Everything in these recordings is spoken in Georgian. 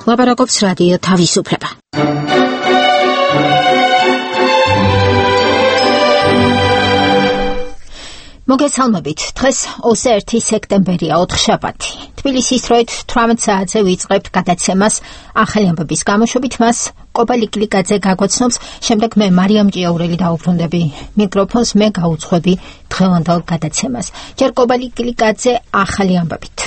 ლაპარაკობს რადიო თავისუფლება. მოგესალმებით, დღეს 21 სექტემბერია, ოთხშაბათი. თბილისის დროით 18 საათზე ვიწყებთ გადაცემას ახალი ამბების გამოშვებით. მას კობალი კლიკაძე გაგვაცნობს, შემდეგ მე მარიამ ჭიაურელი დავუბრუნდები მიკროფონს, მე გაუძღვები დღევანდელ გადაცემას. ჯერ კობალი კლიკაძე ახალი ამბებით.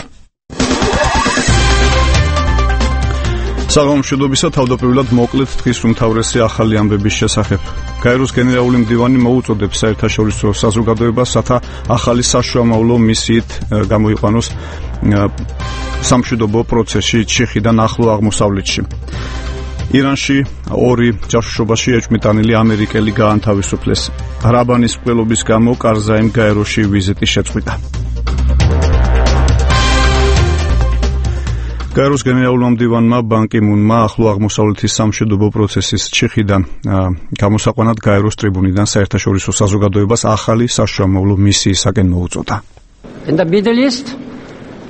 საღამომშვიდობისა, თავდაპირველად მოკლედ დღის უმთავრესი ახალი ამბების შესახებ. გაეროს გენერალური მდივანი მოუწოდებს საერთაშორისო საზოგადოებას, რათა ახალი საშუალო მისიით გამოიყვანოს სამშვიდობო პროცესში ჩიხიდან ახლო აღმოსავლეთში. ირანში ორი ჯაშუშობაში ეჭვმიტანილი ამერიკელი გაანთავისუფლეს. რაბანის მკვლელობის გამო კარზაიმ გაეროში ვიზიტი შეწყვიტა. გაეროს გენერალურმა მდივანმა ბან კი მუნმა ახლო აღმოსავლეთის სამშვიდობო პროცესის ჩიხიდან გამოსაყვანად გაეროს ტრიბუნიდან საერთაშორისო საზოგადოებას ახალი საშუალო მისიისაკენ მოუწოდა. In the Middle East,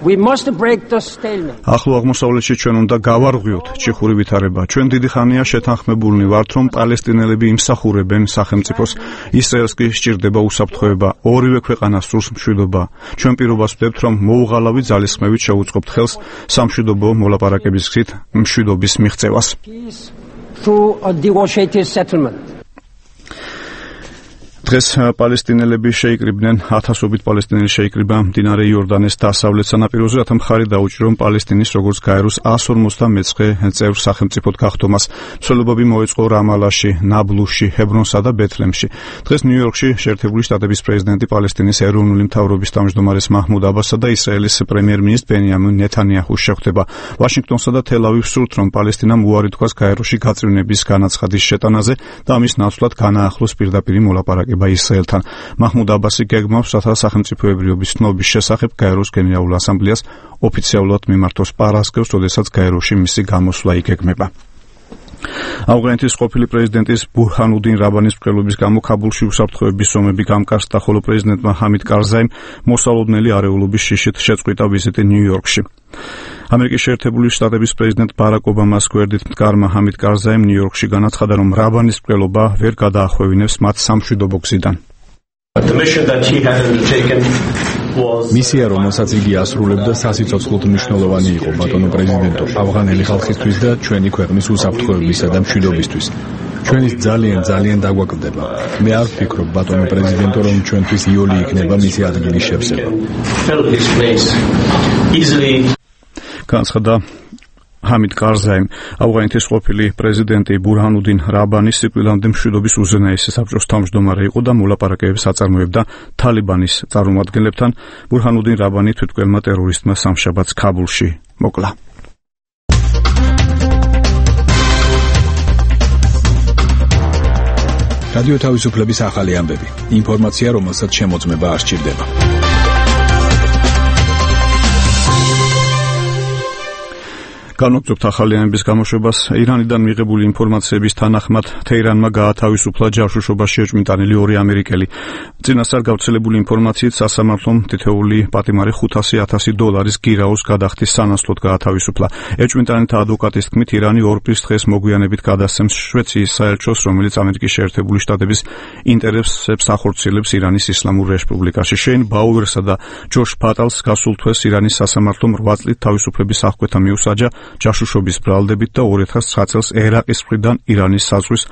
we must break the stalemate. ახლო აღმოსავლეთში ჩვენ უნდა გავარღვიოთ ჩიხური ვითარება. ჩვენ დიდი ხანია შეთანხმებულნი ვართ, რომ პალესტინელები იმსახურებენ სახელმწიფოს, ისრაელს კი სჭირდება უსაფრთხოება, ორივე ქვეყანას სურს მშვიდობა. ჩვენ პირობას ვდებთ, რომ მოუღალავი ძალისხმევით შევუწყობთ ხელს სამშვიდობო მოლაპარაკების გზით მშვიდობის მიღწევას. Through a negotiated settlement. დღეს პალესტინელები შეიკრიბნენ, ათასობით პალესტინელი შეიკრიბა მდინარე იორდანეს დასავლეთ სანაპიროზე, რათა მხარი დაუჭირონ პალესტინის როგორც გაეროს 159 წევრ სახელმწიფოდ გახდომას. მსვლელობები მოეწყო რამალაში, ნაბლუსში, ჰებრონსა და ბეთლემში. დღეს ნიუ-იორკში შეერთებული შტატების პრეზიდენტი პალესტინის ეროვნული მთავრობის თავმჯდომარეს მაჰმუდ აბასსა და ისრაელის პრემიერ-მინისტრ ბენიამინ ნეთანიაჰუს შეხვდება. ვაშინგტონსა და თელ-ავივს სურთ, რომ პალესტინამ უარი თქვას გაეროში გაწევრიანების განაცხადის შეტანაზე და ამის ნაცვლად განაახლოს პირდაპირი მოლაპარაკება ისრაელთან. მაჰმუდ აბასი გეგმავს, რათა სახელმწიფოებრიობის ცნობის შესახებ გაეროს გენერალურ ასამბლეას ოფიციალურად მიმართოს პარასკევს, როდესაც გაეროში მისი გამოსვლა იგეგმება. ავღანეთის ყოფილი პრეზიდენტის ბურჰანუდინ რაბანის მკვლელობის გამო ქაბულში უსაფრთხოების ზომები გამკარსდა, ხოლო პრეზიდენტმა ჰამიდ კარზაიმ მოსალოდნელი არეულობის შიშით შეწყვიტა ვიზიტი ნიუ-იორკში. ამერიკის შეერთებული შტატების პრეზიდენტ ბარაკ ობამას გვერდით მდგარმა ჰამიდ კარზაიმ ნიუ-იორკში განაცხადა, რომ რაბანის მკვლელობა ვერ გადაახვევინებს მათ სამშვიდობო გზიდან. მისია, რომელსაც იგი ასრულებდა, სასიცოცხლოდ მნიშვნელოვანი იყო, ბატონო პრეზიდენტო, ავღანელი ხალხისთვის და ჩვენი ქვეყნის უსაფრთხოებისა და მშვიდობისთვის. ჩვენის ძალიან დაგვაკლდება. მე არ ვფიქრობ, ბატონო პრეზიდენტო, რომ ჩვენთვის იოლი იქნება მისი ადგილის შევსება. განაცხადა ჰამიდ კარზაიმ. ავღანეთის ყოფილი პრეზიდენტი ბურჰანუდინ რაბანი სიკვდილამდე მშვიდობის უზენაესი საბჭოს თავმჯდომარე იყო და მოლაპარაკებებს აწარმოებდა თალიბანის წარმომადგენლებთან. ბურჰანუდინ რაბანი თვითმკვლელმა ტერორისტმა სამშაბათს ქაბულში მოკლა. რადიო თავისუფლების ახალი ამბები. ინფორმაცია, რომელსაც შემოწმება არ სჭირდება. განვაგრძობთ ახალი ამბების გამოშვებას. ირანიდან მიღებული ინფორმაციების თანახმად თეირანმა გაათავისუფლა ჯაშუშობაში ეჭვმიტანილი ორი ამერიკელი. წინასწარ გავრცელებული ინფორმაციით სასამართლომ თითოეული პატიმარი $500,000 გირაოს გადახდის სანაცვლოდ გაათავისუფლა. ეჭვმიტანილთა ადვოკატის თქმით, ირანი ორპრის დღეს მოგვიანებით გადასცემს შვეიცრიის საელჩოს, რომელიც ამერიკის შეერთებული შტატების ინტერესებს ახორციელებს ირანის ისლამურ რესპუბლიკაში. შეინ ბაუერსა და ჯოშ პატალს გასულ თვეს ირანის სასამართლომ 8 წლით თავისუფლების აღკვეთა მიუსაჯა ჯაშუშობის ბრალდებით და 2009 წელს ერაყის მხრიდან ირანის საზღვრის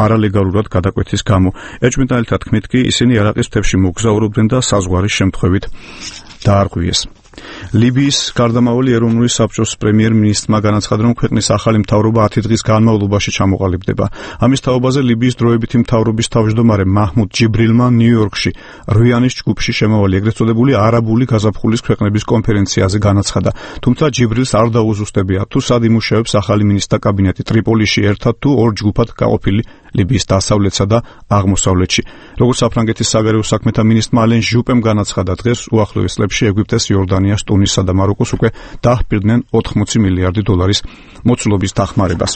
არალეგალურად გადაკვეთის გამო. ეჭვმიტანილთა თქმით კი ისინი ერაყის მთებში მოგზაურობდნენ და საზღვარის შემთხვევით დაარღვიეს. ლიბიის გარდამავალი ეროვნული საბჭოს პრემიერ-მინისტრმა განაცხადა, რომ ქვეყნის ახალი მთავრობა 10 დღის განმავლობაში ჩამოყალიბდება. ამის თაობაზე ლიბიის დროებითი მთავრობის თავმჯდომარე მაჰმუდ ჯიბრილმა ნიუ-იორკში რვიანის ჯგუფში შემავალი ეგრეთ წოდებული არაბული გაზაფხულის ქვეყნების კონფერენციაზე განაცხადა. თუმცა ჯიბრილს არ დაუზუსტებია, თუ სად იმუშავებს ახალი მინისტრთა კაბინეტი ტრიპოლიში ერთად თუ ორ ჯგუფად გაყოფილი ლიბიის დასავლეთსა და აღმოსავლეთში. როგორც საფრანგეთის საგარეო საქმეთა მინისტრმა ალენ ჟუპემ განაცხადა, დღეს უახლოეს წლებში ეგვიპტეს, იორდანიას, ტუნისსა და მაროკოს უკვე დაჰპირდნენ $80 მილიარდი მოცულობის დახმარებას.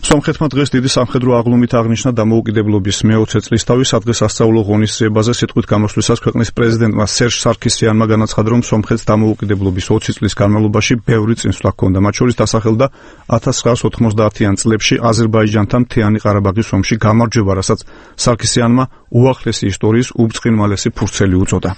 სომხეთმა დღეს დიდი სამხედრო აღლუმით აღნიშნა დამოუკიდებლობის მე-20 წლისთავის სადღესასწაულო ღონისძიებაზე სიტყვით გამოსვლისას ქვეყნის პრეზიდენტმა სერჟ სარქისიანმა განაცხადა, რომ სომხეთს დამოუკიდებლობის 20 წლის განმავლობაში ბევრი წინსვლა ჰქონდა, მათ შორის დასახელდა 1990-იან წლებში აზერბაიჯანთან მთიანი ყარაბაღის ომში გამარჯვება, რასაც სარქისიანმა უახლესი ისტორიის უბწყინვალესი ფურცელი უწოდა.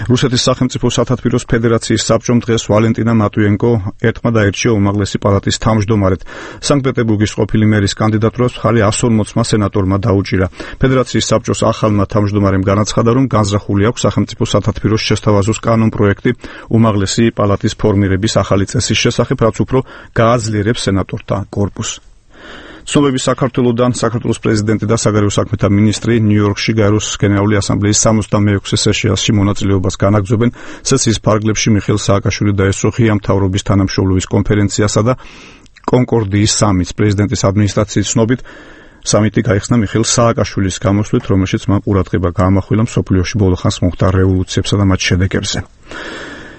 რუსეთის სახელმწიფო სათათბიროს ფედერაციის საბჭომ დღეს ვალენტინა მატვიენკო ერთმა დაირჩია უმაღლესი პალატის თავმჯდომარედ. სანქტ-პეტერბურგის ყოფილი მერის კანდიდატურას მხარი 140-მა სენატორმა დაუჭირა. ფედერაციის საბჭოს ახალმა თავმჯდომარემ განაცხადა, რომ განზრახული აქვს სახელმწიფო სათათბიროს შესთავაზოს კანონპროექტი უმაღლესი პალატის ფორმირების ახალი წესის შესახებ, რაც უფრო გააძლიერებს სენატორთა კორპუსს. ცნობები საქართველოდან საქართველოს პრეზიდენტი და საგარეო საქმეთა მინისტრი ნიუ-იორკში გაეროს გენერალური ასამბლეის 66 სესიაში მონაწილეობას განაგრძობენ. სესიის ფარგლებში მიხეილ სააკაშვილი დაესწრო ღია მთავრობის თანამშრომლობის კონფერენციასა და კონკორდიის სამიტს. პრეზიდენტის ადმინისტრაციის ცნობით სამიტი გაიხსნა მიხეილ სააკაშვილის გამოსვლით, რომელშიც მან ყურადღება გაამახვილა მსოფლიოში ბოლოხანს მომხდარ რევოლუციებსა და მათ შედეგებზე.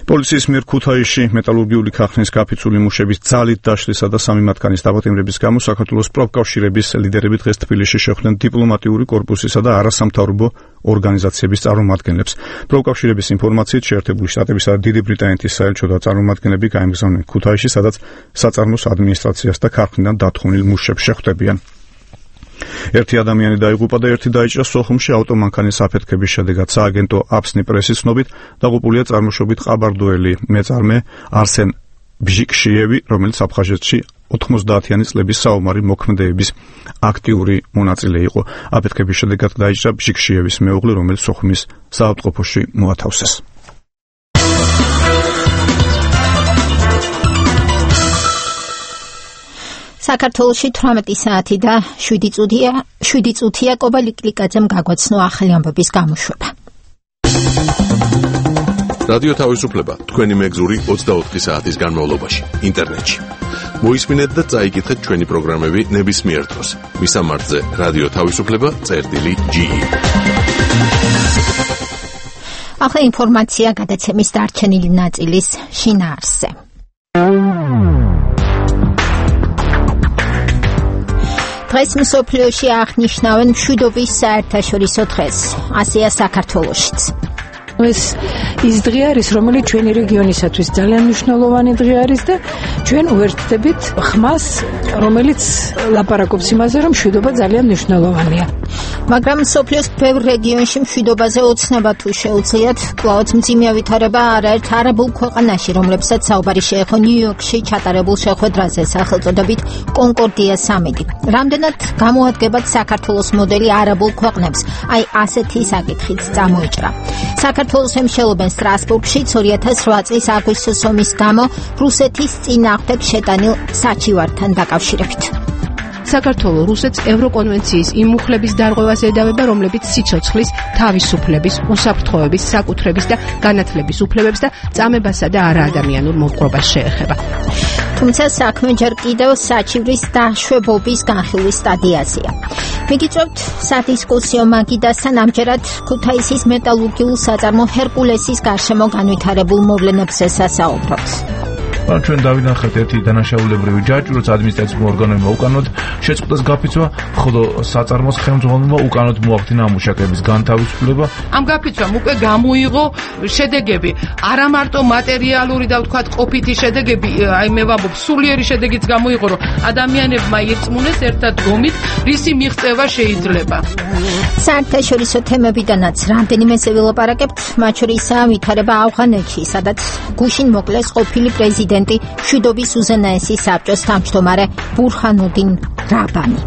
პოლიციის მიერ ქუთაისში მეტალურგიული ქარხნის გაფიცული მუშების ძალით დაშლისა და 3 მათგანის დაპატიმრების გამო საქართველოს პროფკავშირების ლიდერები დღეს თბილისში შეხვდნენ დიპლომატიური კორპუსისა და არასამთავრობო ორგანიზაციების წარმომადგენლებს. პროფკავშირების ინფორმაციით შეერთებული შტატებისა და დიდი ბრიტანეთის საელჩო და წარმომადგენლები გაემგზავრნენ ქუთაისში, სადაც საწარმოს ადმინისტრაციას და ქარხნიდან დათხოვნილ მუშებს შეხვდებიან. ერთი ადამიანი დაიღუპა და ერთი დაიჭრა სოხუმში ავტომანქანის აფეთქების შედეგად. სააგენტო აფსნი პრესის ცნობით დაღუპულია წარმოშობით ყაბარდოელი მეწარმე არსენ ბჟიკშიევი, რომელიც აფხაზეთში 90-იანი წლების საომარი მოქმედებების აქტიური მონაწილე იყო. აფეთქების შედეგად დაიჭრა ბჟიკშიევის მეუღლე, რომელიც სოხუმის საავადმყოფოში მოათავსეს. საქართველოში 18 საათი და 7 წუთია კობალიკლიკაძემ გაგვაცნო ახალი ამბების გამოშვება. რადიო თავისუფლება თქვენი მეგზური 24 საათის განმავლობაში ინტერნეტში. მოისმინეთ და წაიკითხეთ ჩვენი პროგრამები ნებისმიერ დროს. მისამართზე რადიო თავისუფლება.ge. ახლა ინფორმაცია გადაცემის დარჩენილი ნაწილის შინაარსზე. დღეს მსოფლიოში აღნიშნავენ მშვიდობის საერთაშორისო დღეს. ასეა საქართველოშიც. ეს ის დღე არის, რომელიც ჩვენი რეგიონისათვის ძალიან მნიშვნელოვანი დღე არის და ჩვენ უერთდებით ხმას, რომელიც ლაპარაკობს იმაზე, რომ მშვიდობა ძალიან მნიშვნელოვანია. მაგრამ მსოფლიოს ბევრ რეგიონში მშვიდობაზე ოცნება თუ შეუძლიათ, კვლავაც მძიმე ვითარება არაერთ არაბულ ქვეყანაში, რომლებსაც საუბარი შეეხო ნიუ-იორკში ჩატარებულ შეხვედრაზე სახელწოდებით კონკორდია სამიტი. რამდენად გამოადგებათ საქართველოს მოდელი არაბულ ქვეყნებს? აი ასეთი საკითხიც წამოიჭრა. საქართველოს ემშელობენ სტრასბურგში 2008 წლის აგვისტოს ომის გამო რუსეთის წინააღმდეგ შეტანილ საჩივართან დაკავშირებით. საქართველოს რუსეთს ევროკონვენციის იმ მუხლების დარღვევას ედავება, რომლებიც სიცოცხლის, თავისუფლების, უსაფრთხოების, საკუთრების და განათლების უფლებებს და წამებასა და არაადამიანურ მოპყრობას შეეხება. თუმცა საქმე ჯერ კიდევ საჩივრის დაშვებობის განხილვის სტადიაზეა. მიგიწევთ სადისკუსიო მაგიდასთან ამჯერად ქუთაისის მეტალურგიულ საწარმო ჰერკულესის გარშემო განვითარებულ მოვლენებზე სასაუბროთ. ჩვენ დავინახეთ ერთი დანაშაულებრივი ჯაჭვი, როცა ადმინისტრაციულ ორგანოებმა უკანოდ შეწყვიტეს გაფიცვა, ხოლო საწარმოს ხელმძღვანელმა უკანოდ მოახდინა მუშაკების განთავისუფლება. ამ გაფიცვამ უკვე გამოიღო შედეგები, არა მარტო მატერიალური და ვთქვათ ყოფითი შედეგები, აი მე ვამბობ, სულიერი შედეგიც გამოიღო, რომ ადამიანებმა ირწმუნეს ერთად გომით, რისი მიღწევა შეიძლება. საერთაშორისო თემებიდანაც რამდენიმეზე ვილაპარაკებთ, მათ შორისაა ვითარება ავღანეთში, სადაც გუშინ მოკლეს ყოფილი პრეზიდენტი მშვიდობის უზენაესი საბჭოს თავმჯდომარე ბურჰანუდინ რაბანი.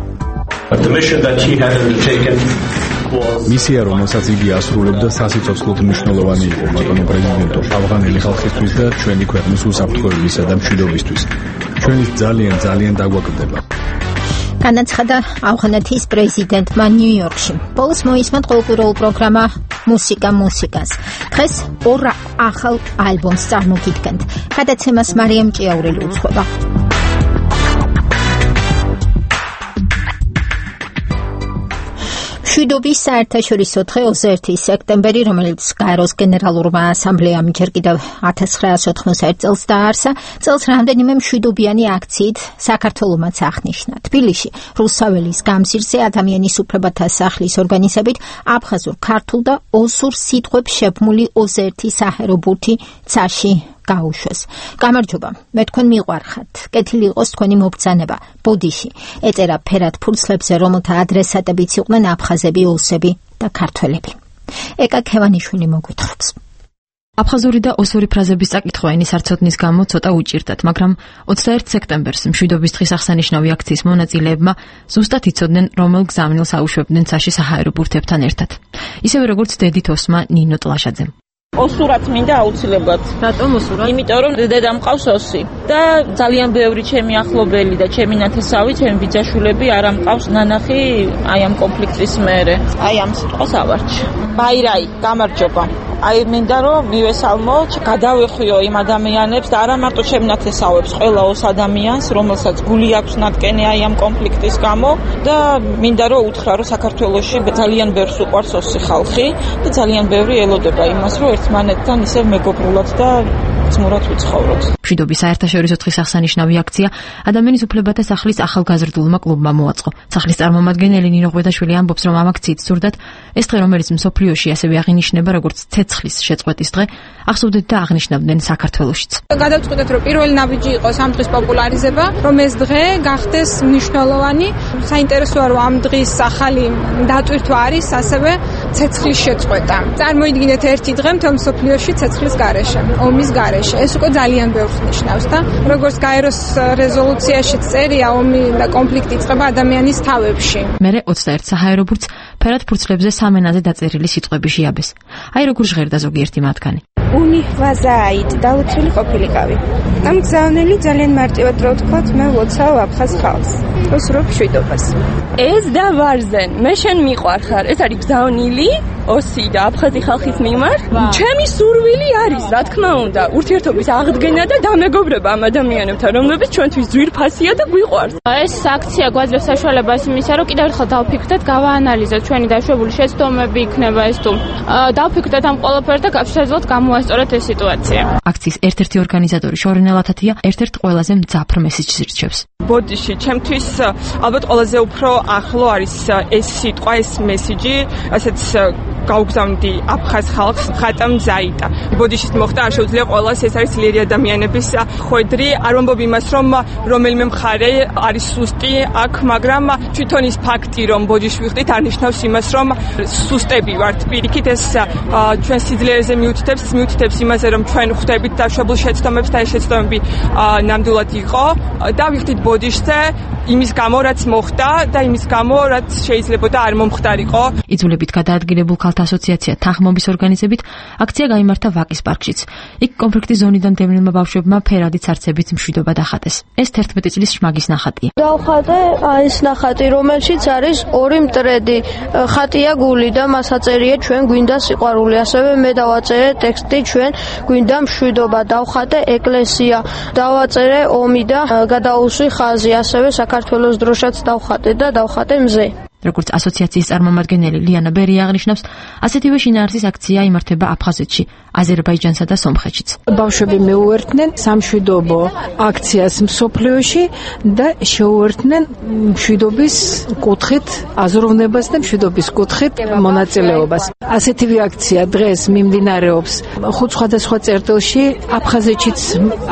მისია, რომელსაც იგი ასრულებდა, სასიცოცხლოდ მნიშვნელოვანი იყო, ბატონო პრეზიდენტო, ავღანელი ხალხისთვის და ჩვენი ქვეყნის უსაფრთხოებისა და მშვიდობისთვის. ჩვენით ძალიან დაგვაკლდება. განაცხადა ავღანეთის პრეზიდენტმა ნიუ-იორკში. ბოლოს მოისმენთ ყოველკვირეულ პროგრამა მუსიკას. დღეს 2 ახალ ალბომს წარმოგიდგენთ. გადაცემას მარიამ ჭიაურელი უძღვება. მშვიდობის საერთაშორისო დღე 21 სექტემბერი, რომელიც გაეროს გენერალურმა ასამბლეამ ჯერ კიდევ 1991 წელს დააარსა, წელს რამდენიმე მშვიდობიანი აქციით საქართველოსაც აღნიშნა. თბილისში რუსაველის გამზირზე ადამიანის უფლებათა სახლის ორგანიზებით აფხაზურ, ქართულ და ოსურ სიტყვებს შებმული 21 საჰაერო ბურთი ცაში გაუშვეს. გამარჯობა, მე თქვენ მიყვარხართ. კეთილი იყოს თქვენი მობრძანება. ბოდიში ეწერა ფერად ფურცლებზე, რომელთა ადრესატებიც იყვნენ აფხაზები, ოსები და ქართველები. ეკა ქევანიშვილი მოგვითხრობს. აფხაზური და ოსური ფრაზების წაკითხვა ენის არცოდნის გამო ცოტა უჭირდათ, მაგრამ 21 სექტემბერს მშვიდობის დღის აღსანიშნავი აქციის მონაწილეებმა ზუსტად იცოდნენ, რომელ გზავნილს აუშვებდნენ ცაში საჰაერო ბურთებთან ერთად. ისევე როგორც დედით ოსმა ნინო ტლაშაძემ. ოსურად მინდა აუცილებლად. რატომ ოსურად? იმიტომ რომ დედა მყავს ოსი და ძალიან ბევრი ჩემი ახლობელი და ჩემი ნათესავი, ჩემი ბიძაშვილები არ ამყავს ნანახი აი ამ კონფლიქტის მერე. აი ამ სიტყვას ავარჩი. ბაირაი, გამარჯობა. აი მინდა რომ მივესალმო, გადავეხვიო იმ ადამიანებს და არა მარტო ჩემ ნათესავებს, ყველა ოს ადამიანს, რომელსაც გული აქვს ნატკენი აი ამ კონფლიქტის გამო და მინდა რომ უთხრა რომ საქართველოში ძალიან ბევრს უყვარს ოსი ხალხი და ძალიან ბევრი ელოდება იმას, რომ ერთმანეთთან ისევ მეგობრულად და ძმურად ვიცხოვროთ. მშვიდობის საერთაშორისო დღის აღსანიშნავი აქცია ადამიანის უფლებათა სახლის ახალგაზრდულმა კლუბმა მოაწყო. სახლის წარმომადგენელი ნინო ღვედაშვილი ამბობს, რომ ამ აქციით ზრდათ ეს დღე, რომელიც მსოფლიოში ასევე აღინიშნება როგორც ცეცხლის შეწყვეტის დღე, ახსოვდეთ და აღნიშნავდნენ საქართველოშიც. გადავწყვიტეთ, რომ პირველი ნაბიჯი იყოს ამ დღის პოპულარიზება, რომ ეს დღე გახდეს მნიშვნელოვანი. საინტერესოა, რომ ამ დღის ახალი დატვირთვა არის ასევე ცეცხლის შეწყვეტა. წარმოიდგინეთ ერთი დღე მთელ მსოფლიოში ცეცხლის გარეშე, ომის გარეშე. ეს უკვე ძალიან ბევრს ნიშნავს და როგორც გაეროს რეზოლუციაში წერია, ომი და კონფლიქტი იწყება ადამიანის თავებში. მერე 21 საჰაერო ბურთს ფერად ფურცლებზე სამენაზე დაწერილი სიტყვები შეაბეს. აი როგორ ჟღერდა ზოგიერთი მათგანი. უნი ვაზაით დაუცველი ყოფილიყავი. ამ გზავნილი ძალიან მარტივად რო ვთქვათ, მე ვოცავ აფხაზ ხალხს. ოსურობ მშვიდობას. ეს და ვარზენ, მე შენ მიყვარხარ. ეს არის გზავნილი ოსი და აფხაზი ხალხის მიმართ. ჩემი სურვილი არის, რა თქმა უნდა, ურთიერთობის აღდგენა და დამეგობრება ამ ადამიანებთან, რომლებიც ჩვენთვის ძვირფასია და გვიყვარს. ეს აქცია გვაძლევს საშუალებას იმისა, რომ კიდევ ერთხელ დავფიქრდეთ, გავაანალიზოთ ჩვენი დაშვებული შეცდომები იქნება ეს თუ დავფიქრდეთ ამ ყველაფერს და შეძლოთ გამოასწოროთ ეს სიტუაცია. აქციის ერთ-ერთი ორგანიზატორი შორენა ლათათია ერთ-ერთ ყველაზე მძაფრ მესიჯს ირჩევს. ბოდიში, ჩემთვის ალბათ ყველაზე უფრო ახლო არის ეს სიტყვა, ეს მესიჯი, ასეც გაუგზავნდი აფხაზ ხალხს ხატამ ზაიტა. ბოდიშის მოხდა არ შეუძლია ყველას, ეს არის ძლიერი ადამიანების ხვედრი. არ ვამბობ იმას, რომ რომელიმე მხარე არის სუსტი აქ, მაგრამ თვითონ ის ფაქტი, რომ ბოდიში ვიხდით, არ ნიშნავს იმას, რომ სუსტები ვართ. პირიქით ეს ჩვენ სიძლიერეზე მიუთითებს იმაზე, რომ ჩვენ ხვდებით დაშვებულ შეცდომებს და ეს შეცდომები ნამდვილად იყო და ვიხდით ბოდიშზე იმის გამო, რაც მოხდა და იმის გამო, რაც შეიძლებოდა არ მომხდარიყო. იძულებით გადაადგილებულ ქალთა ასოციაცია თანხმობის ორგანიზებით აქცია გაიმართა ვაკის პარკშიც. იქ კონფლიქტის ზონიდან დევნილმა ბავშვებმა ფერადი ცარცებით მშვიდობა დახატეს. ეს 11 წლის შმაგის ნახატია. დავხატე ეს ნახატი, რომელშიც არის ორი მტრედი. ხატია გული და მას აწერია ჩვენ გვინდა სიყვარული. ასევე მე დავაწერე ტექსტი ჩვენ გვინდა მშვიდობა. დავხატე ეკლესია, დავაწერე ომი და გადაუსვი ხაზი. ასევე საქართველოს დროშაც დავხატე და დავხატე მზე. როგორც ასოციაციის წარმომადგენელი ლიანა ბერი აღნიშნავს, ასეთივე შინაარსის აქცია იმართება აფხაზეთში, აზერბაიჯანსა და სომხეთშიც. ბავშვები მეუერთდნენ სამშვიდობო აქციას მსოფლიოში და შეუერთდნენ მშვიდობის კუთხით აზროვნებას და მშვიდობის კუთხით მონაწილეობას. ასეთივე აქცია დღეს მიმდინარეობს ხუთ სხვადასხვა წერტილში, აფხაზეთშიც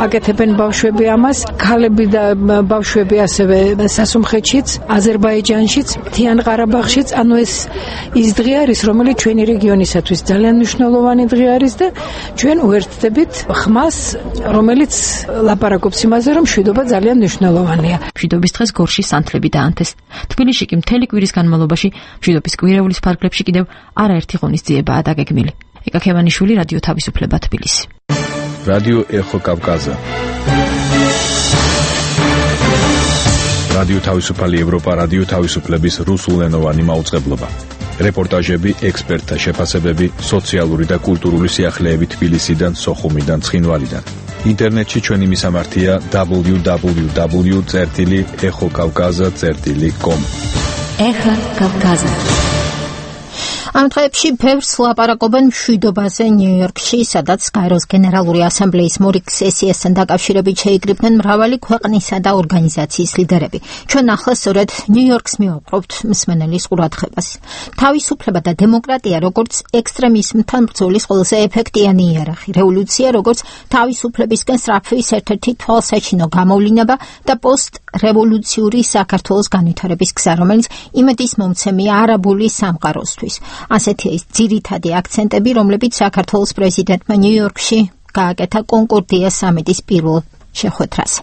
აკეთებენ ბავშვები ამას, ქალები და ბავშვები ასევე სასომხეთშიც, აზერბაიჯანშიც, ყარაბაღშიც, ანუ ეს დღე არის, რომელიც ჩვენი რეგიონისათვის ძალიან მნიშვნელოვანი დღე არის და ჩვენ უერთდებით ხმას, რომელიც ლაპარაკობს იმაზე, რომ მშვიდობა ძალიან მნიშვნელოვანია. მშვიდობის დღეს გორში სანთლები დაანთეს. თბილისში კი მთელი კვირის განმავლობაში მშვიდობის კვირეულის ფარგლებში კიდევ არაერთი ღონისძიებაა დაგეგმილი. ეკა ქევანიშვილი, რადიო თავისუფლება, თბილისი. რადიო ეხო კავკაზა. რადიო თავისუფალი ევროპა, რადიო თავისუფლების რუსულენოვანი მაუწყებლობა. რეპორტაჟები, ექსპერტთა შეფასებები, სოციალური და კულტურული სიახლეები თბილისიდან, სოხუმიდან, ცხინვალიდან. ინტერნეტში ჩვენი მისამართია www.exokavkaza.com. Ეხა კავკაზა. ამ დღეებში ბევრს ლაპარაკობენ მშვიდობაზე ნიუ-იორკში, სადაც გაეროს გენერალური ასამბლეის მორიგ სესიასთან დაკავშირებით შეიკრიბნენ მრავალი ქვეყნისა და ორგანიზაციის ლიდერები. ჩვენ ახლა სწორედ ნიუ-იორკს მივაყრობთ მსმენელის ყურადღებას. თავისუფლება და დემოკრატია როგორც ექსტრემიზმთან ბრძოლის ყველაზე ეფექტიანი იარაღი, რევოლუცია როგორც თავისუფლებისკენ სწრაფვის ერთ-ერთი თვალსაჩინო გამოვლინება და პოსტ-რევოლუციური საქართველოს განვითარების გზა, რომელიც იმედის მომცემია არაბული სამყაროსთვის. ასეთია ის ძირითადი აქცენტები, რომლებიც საქართველოს პრეზიდენტმა ნიუ-იორკში გააკეთა კონკორდია სამიტის პირველ შეხვედრაზე.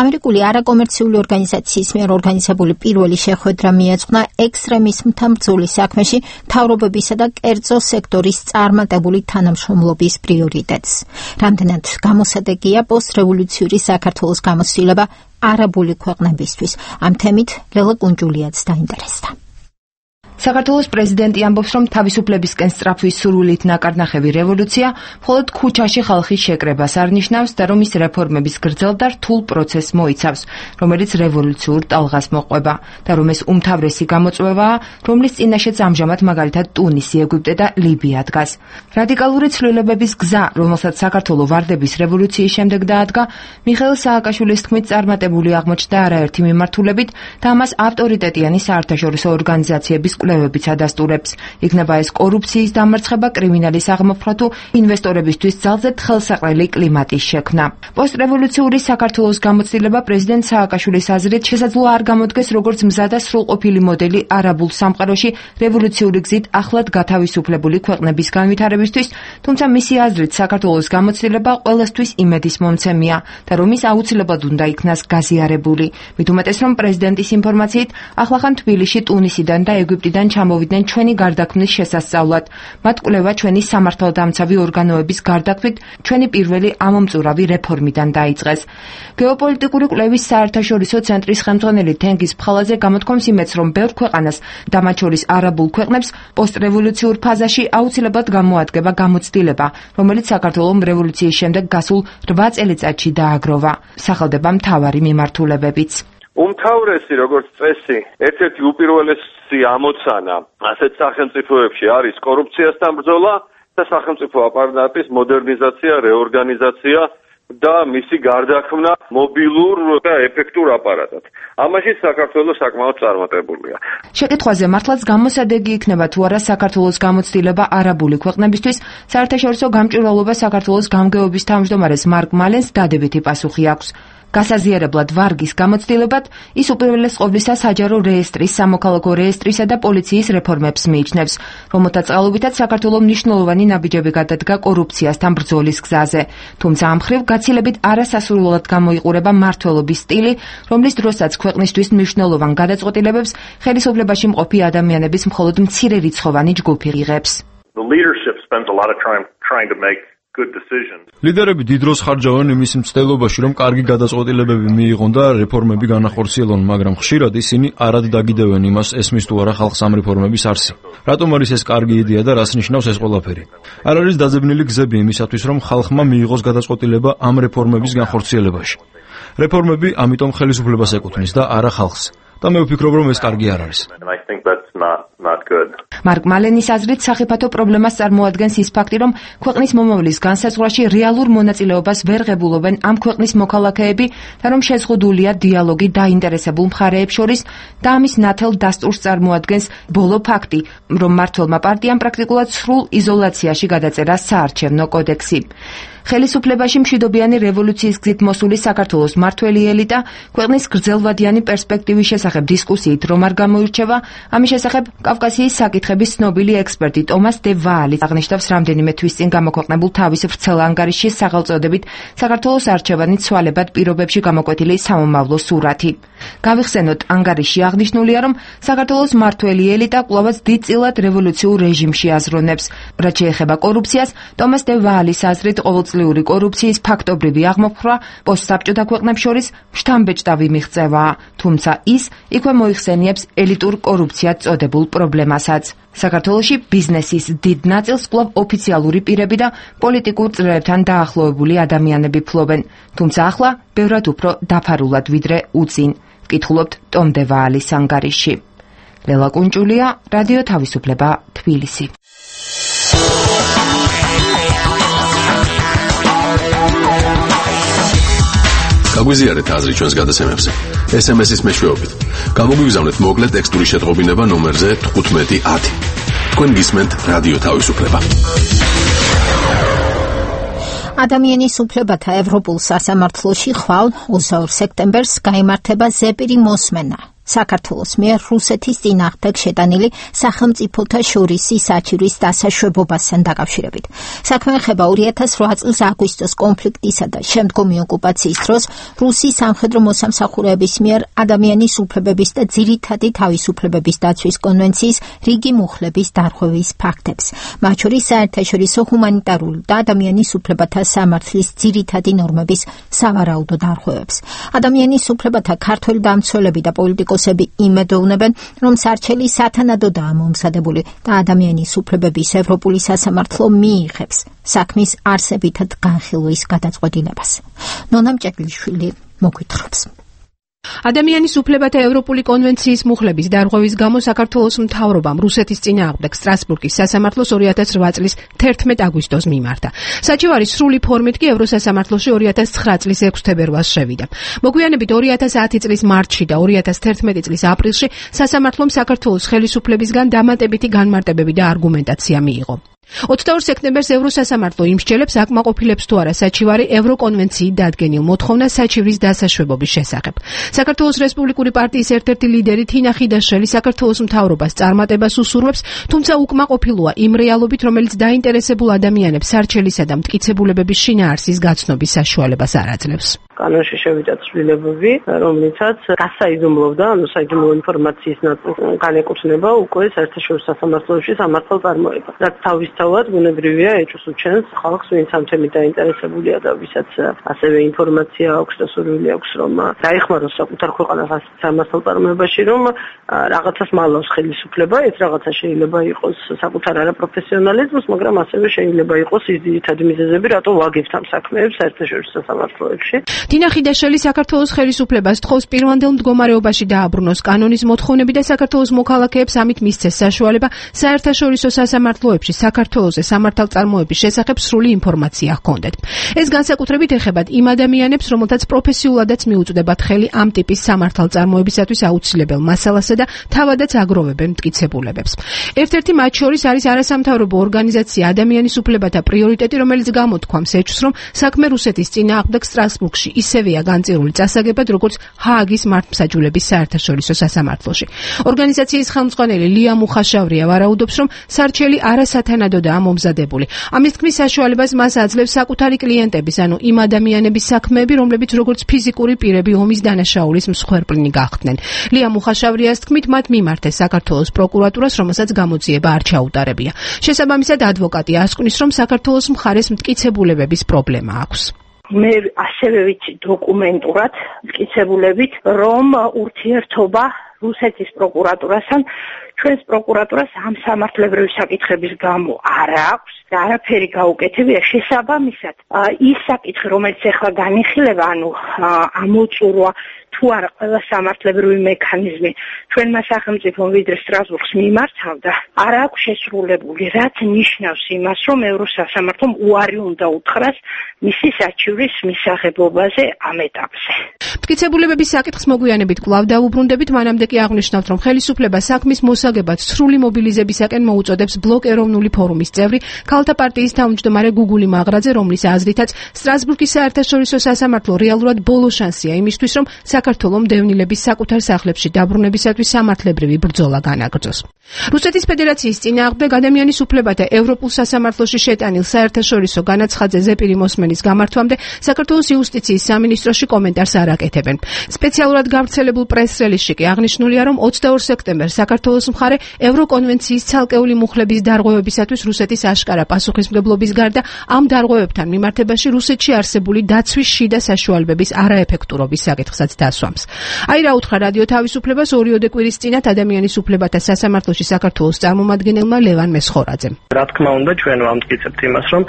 ამერიკული არაკომერციული ორგანიზაციის მიერ ორგანიზებული პირველი შეხვედრა მიეძღვნა ექსტრემიზმთან ბრძოლის საქმეში მთავრობებისა და კერძო სექტორის წარმატებული თანამშრომლობის პრიორიტეტს. რამდენად გამოსადეგია პოსტ-რევოლუციური საქართველოს გამოცდილება არაბული ქვეყნებისთვის. ამ თემით ლელა კუნჯულიაც დაინტერესდა. საქართველოს პრეზიდენტი ამბობს, რომ თავისუფლებისკენ სწრაფვის სურვილით ნაკარნახევი რევოლუცია მხოლოდ ქუჩაში ხალხის შეკრებას არ ნიშნავს და რომ ის რეფორმების გრძელ და რთულ პროცესს მოიცავს, რომელიც რევოლუციურ ტალღას მოყვება და რომ ეს უმთავრესი გამოწვევაა, რომლის წინაშეც ამჟამად მაგალითად ტუნისი, ეგვიპტე და ლიბია დგას. რადიკალური ცვლილებების გზა, რომელსაც საქართველო ვარდების რევოლუციის შემდეგ დაადგა, მიხეილ სააკაშვილის თქმით წარმატებული აღმოჩნდა არაერთი მიმართულებით და ამას ავტორიტეტიანი საერთაშორისო ორგანიზაციების კვლევებიც ადასტურებს. იქნება ეს კორუფციის დამარცხება, კრიმინალის აღმოფხვრა თუ ინვესტორებისთვის ძალზედ ხელსაყრელი კლიმატის შექმნა. პოსტრევოლუციური საქართველოს გამოცდილება პრეზიდენტ სააკაშვილის აზრით შესაძლოა არ გამოდგეს როგორც მზა და სრულყოფილი მოდელი არაბულ სამყაროში რევოლუციური გზით ახლად გათავისუფლებული ქვეყნების განვითარებისთვის, თუმცა მისი აზრით საქართველოს გამოცდილება ყველასთვის იმედის მომცემია და რომ ის აუცილებლად უნდა იქნას გაზიარებული. მით უმეტეს რომ პრეზიდენტის ინფორმაციით ახლახან თბილისში, ტუნისიდან და ეგვიპტიდან ჩამოვიდნენ ჩვენი გარდაქმნის შესასწავლად. მათ კვლევა ჩვენი სამართალდამცავი ორგანოების გარდაქმნით ჩვენი პირველი ამომწურავი რეფორმიდან დაიწყეს. გეოპოლიტიკური კვლევის საერთაშორისო ცენტრის ხელმძღვანელი თენგიზ ფხალაძე გამოთქვამს იმედს, რომ ბევრ ქვეყანას და მათ შორის არაბულ ქვეყნებს პოსტრევოლუციურ ფაზაში აუცილებლად გამოადგება გამოცდილება, რომელიც საქართველოს რევოლუციის შემდეგ გასულ 8 წელიწადში დააგროვა. სახელდება მთავარი მიმართულებებიც. უმთავრესი როგორც წესი, ერთ-ერთი უპირველესი ამოცანა ასეთ სახელმწიფოებში არის კორუფციასთან ბრძოლა და სახელმწიფო აპარატის მოდერნიზაცია, რეორგანიზაცია და მისი გარდაქმნა მობილურ და ეფექტურ აპარატად. ამაში საქართველოს საკმაოდ წარმატებულია. შეკითხვაზე მართლაც გამოსადეგი იქნება თუ არა საქართველოს გამოცდილება არაბული ქვეყნებისთვის, საერთაშორისო გამჭვირვალობა საქართველოს გამგეობის თავმჯდომარეს მარკ მალენს დადებითი პასუხი აქვს. გასაზიარებლად ვარგის გამოცდილებად ის უპირველეს ყოვლისა საჯარო რეესტრის, სამოქალაქო რეესტრისა და პოლიციის რეფორმებს მიიჩნევს, რომელთა წყალობითაც საქართველოს მნიშვნელოვანი ნაბიჯები გადადგა კორუფციასთან ბრძოლის გზაზე. თუმცა ამ მხრივ გაცილებით არასასურველად გამოიყურება მმართველობის სტილი, რომლის დროსაც ქვეყნისთვის მნიშვნელოვან გადაწყვეტილებებს ხელისუფლებაში მყოფი ადამიანების მხოლოდ მცირერიცხოვანი ჯგუფი იღებს. ლიდერები დიდ დროს ხარჯავენ იმის მცდელობაში, რომ კარგი გადაწყვეტილებები მიიღონ და რეფორმები განახორციელონ, მაგრამ ხშირად ისინი არად დაგიდევენ იმას, ესმის თუ არა ხალხს ამ რეფორმების არსი. რატომ არის ეს კარგი იდეა და რას ნიშნავს ეს ყველაფერი? არ არის დაძებნილი გზები იმისათვის, რომ ხალხმა მიიღოს გადაწყვეტილება ამ რეფორმების განხორციელებაში. რეფორმები ამიტომ ხელისუფლებას ეკუთვნის და არა ხალხს. და მე ვფიქრობ, რომ ეს კარგი არ არის. მარკ მალენის აზრით სახიფათო პრობლემას წარმოადგენს ის ფაქტი, რომ ქვეყნის მომავლის განსაზღვრაში რეალურ მონაწილეობას ვერ ღებულობენ ამ ქვეყნის მოქალაქეები და რომ შეზღუდულია დიალოგი დაინტერესებულ მხარეებს შორის და ამის ნათელ დასტურს წარმოადგენს ბოლო ფაქტი, რომ მმართველმა პარტიამ პრაქტიკულად სრულ იზოლაციაში გადაწერა საარჩევნო კოდექსი. ხელისუფლებაში მშვიდობიანი რევოლუციის გზით მოსული საქართველოს მმართველი ელიტა ქვეყნის გრძელვადიანი პერსპექტივის შესახებ დისკუსიით რომ არ გამოირჩევა, ამის შესახებ კავკასიის საკითხების ცნობილი ექსპერტი ტომას დე ვაალი აღნიშნავს რამდენიმე თვის წინ გამოქვეყნებულ თავის ვრცელ ანგარიშში სახელწოდებით საქართველოს არჩევანი ცვალებად პირობებში გამოკვეთილი სამომავლო სურათი. გავიხსენოთ, ანგარიშში აღნიშნულია, რომ საქართველოს მმართველი ელიტა კვლავაც დიდწილად რევოლუციურ რეჟიმში აზროვნებს. რაც შეეხება კორუფციას, ტომას დე ვაალის აზრით ყოველწლიური კორუფციის ფაქტობრივი აღმოფხვრა პოსტსაბჭოთა ქვეყნებს შორის შთამბეჭდავი მიღწევაა, თუმცა ის იქვე მოიხსენიებს ელიტურ კორუფციად წოდებულ პრობლემასაც. საქართველოში ბიზნესის დიდ ნაწილს კვლავ ოფიციალური პირები და პოლიტიკურ წრეებთან დაახლოებული ადამიანები ფლობენ, თუმცა ახლა ბევრად უფრო დაფარულად ვიდრე უწინ. ვკითხულობთ ტომ დე ვაალის ანგარიშში. ლელა კუნჭულია, რადიო თავისუფლება, თბილისი. გაგვიზიარეთ აზრი ჩვენს გადაცემებზე. SMS-ის მეშვეობით. გამოგვიგზავნეთ მოკლე ტექსტური შეტყობინება ნომერზე 1510. თქვენ გისმენთ რადიო თავისუფლება. ადამიანის უფლებათა ევროპულ სასამართლოში ხვალ 22 სექტემბერს გაიმართება ზეპირი მოსმენა. საქართველოს მიერ რუსეთის წინააღმდეგ შეტანილი სახელმწიფოთა შორისი საჩივრის დასაშვებობასთან დაკავშირებით. საქმე ეხება 2008 წლის აგვისტოს კონფლიქტისა და შემდგომი ოკუპაციის დროს რუსი სამხედრო მოსამსახურეების მიერ ადამიანის უფლებების და ძირითადი თავისუფლებების დაცვის კონვენციის რიგი მუხლების დარღვევის ფაქტებს, მათ შორის საერთაშორისო ჰუმანიტარული და ადამიანის უფლებათა სამართლის ძირითადი ნორმების სავარაუდო დარღვევებს. ადამიანის უფლებათა ქართველი დამცველები და პოლიტიკოსები იმედოვნებენ, რომ სარჩელი სათანადოდაა მომზადებული და ადამიანის უფლებების ევროპული სასამართლო მიიღებს საქმის არსებითად განხილვის გადაწყვეტილებას. ნონა მჭედლიშვილი მოგვითხრობს. ადამიანის უფლებათა ევროპული კონვენციის მუხლების დარღვევის გამო საქართველოს მთავრობამ რუსეთის წინააღმდეგ სტრასბურგის სასამართლოს 2008 წლის 11 აგვისტოს მიმართა. საჩივარი სრული ფორმით კი ევროსასამართლოში 2009 წლის 6 თებერვალს შევიდა. მოგვიანებით 2010 წლის მარტში და 2011 წლის აპრილში სასამართლომ საქართველოს ხელისუფლებისგან დამატებითი განმარტებები და არგუმენტაცია მიიღო. 22 სექტემბერს ევროსასამართლო იმსჯელებს აკმაყოფილებს თუ არა საჩივარი ევროკონვენციით დადგენილ მოთხოვნას საჩივრის დასაშვებობის შესახებ. საქართველოს რესპუბლიკური პარტიის ერთ-ერთი ლიდერი თინა ხიდაშელი საქართველოს მთავრობას წარმატებას უსურვებს, თუმცა უკმაყოფილოა იმ რეალობით, რომელიც დაინტერესებულ ადამიანებს სარჩელისა და მტკიცებულებების შინაარსის გაცნობის საშუალებას არ აძლევს. კანონში შევიდა ცვლილებები, რომლითაც გასაიდუმლოვდა, საიდუმლო ინფორმაციის ნაწილს განეკუთვნება უკვე საერთაშორისო სასამართლოში სამართალწარმოება. რაც თავისთავად ბუნებრივია ეჭვს უჩენს ხალხს, ვინც ამ თემით დაინტერესებულია და ვისაც ასევე ინფორმაცია აქვს და სურვილი აქვს, რომ დაეხმაროს საკუთარ ქვეყანას სამართალწარმოებაში, რომ რაღაცას მალავს ხელისუფლება, ეს რაღაცა შეიძლება იყოს საკუთარ არაპროფესიონალიზმს, მაგრამ ასევე შეიძლება იყოს ის ძირითადი მიზეზები, რატო ვაგებთ ამ საქმეებს საერთაშორისო სასამართლოებში. თინა ხიდაშელი საქართველოს ხელისუფლებას თხოვს პირვანდელ მდგომარეობაში დააბრუნოს კანონის მოთხოვნები და საქართველოს მოქალაქეებს ამით მისცეს საშუალება საერთაშორისო სასამართლოებში საქართველოს სამართალწარმოების შესახებ სრული ინფორმაცია ჰქონდეთ. ეს განსაკუთრებით ეხებათ იმ ადამიანებს, რომელთაც პროფესიულადაც მიუწვდებათ ხელი ამ ტიპის სამართალწარმოებისათვის აუცილებელ მასალასა და თავადაც აგროვებენ მტკიცებულებებს. ერთ-ერთი მათ შორის არის არასამთავრობო ორგანიზაცია ადამიანის უფლებათა პრიორიტეტი, რომელიც გამოთქვამს ეჭვს, რომ საქმე რუსეთის წინააღმდეგ სტრასბურგში ისევეა განწირული წასაგებად, როგორც ჰააგის მართლმსაჯულების საერთაშორისო სასამართლოში. ორგანიზაციის ხელმძღვანელი ლია მუხაშავრია ვარაუდობს, რომ სარჩელი არასათანადოდაა მომზადებული. ამის თქმის საშუალებას მას აძლევს საკუთარი კლიენტების, ანუ იმ ადამიანების საქმეები, რომლებიც როგორც ფიზიკური პირები ომის დანაშაულის მსხვერპლნი გახდნენ. ლია მუხაშავრიას თქმით, მათ მიმართეს საქართველოს პროკურატურას, რომელსაც გამოძიება არ ჩაუტარებია. შესაბამისად, ადვოკატი ასკვნის, რომ საქართველოს მხარეს მტკიცებულებების პრობლემა აქვს. მე ასევე ვიცი დოკუმენტურად მტკიცებულებით, რომ ურთიერთობა რუსეთის პროკურატურასთან ჩვენს პროკურატურას ამ სამართლებრივი საკითხების გამო არ აქვს და არაფერი გაუკეთებია. შესაბამისად, ის საკითხი, რომელიც ახლა განიხილება, ანუ ამოწურვა თუ არა ყველა სამართლებრივი მექანიზმი ჩვენმა სახელმწიფომ ვიდრე სტრასბურგს მიმართავდა, არ აქვს შესრულებული, რაც ნიშნავს იმას, რომ ევროსასამართლომ უარი უნდა უთხრას მისი საჩივრის მისაღებობაზე ამ ეტაპზე. მტკიცებულებების საკითხს მოგვიანებით კვლავ დაუბრუნდებით, მანამდე კი აღნიშნავთ, რომ ხელისუფლება საქმის მოსაგებად სრული მობილიზებისაკენ მოუწოდებს ბლოკ ეროვნული ფორუმის წევრი ქალთა პარტიის თავმჯდომარე გუგული მაღრაძე, რომლის აზრითაც სტრასბურგის საერთაშორისო სასამართლო რეალურად ბოლო შანსია იმისთვის, რომ საქართველოს დევნილების საკუთარ სახლებში დაბრუნებისათვის სამართლებრივი ბრძოლა განაგრძოს. რუსეთის ფედერაციის წინააღმდეგ ადამიანის უფლებათა ევროპულ სასამართლოში შეტანილ საერთაშორისო განაცხადზე ზეპირი მოსმენის გამართვამდე საქართველოს იუსტიციის სამინისტროში კომენტარს არ აკეთებენ. სპეციალურად გავრცელებულ პრეს-რელიზში კი აღნიშნულია, რომ 22 სექტემბერს საქართველოს მხარე ევროკონვენციის ცალკეული მუხლების დარღვევებისათვის რუსეთის აშკარა პასუხისმგებლობის გარდა ამ დარღვევებთან მიმართებაში რუსეთში არსებული დაცვის შიდა საშუალებების არაეფექტურობის საკითხსაც დასურს. დასვამს. აი რა უთხრა რადიო თავისუფლებას 2 კვირის წინათ ადამიანის უფლებათა სასამართლოში საქართველოს წარმომადგენელმა ლევან მესხორაძემ. რა თქმა უნდა, ჩვენ ვამტკიცებთ იმას, რომ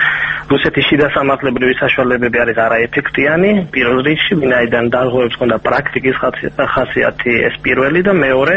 რუსეთის შიდა სამართლებრივი საშუალებები არის არაეფექტიანი, პირველ რიგში, ვინაიდან დარღვევებს ჰქონდა პრაქტიკის ხასიათი ეს პირველი და მეორე,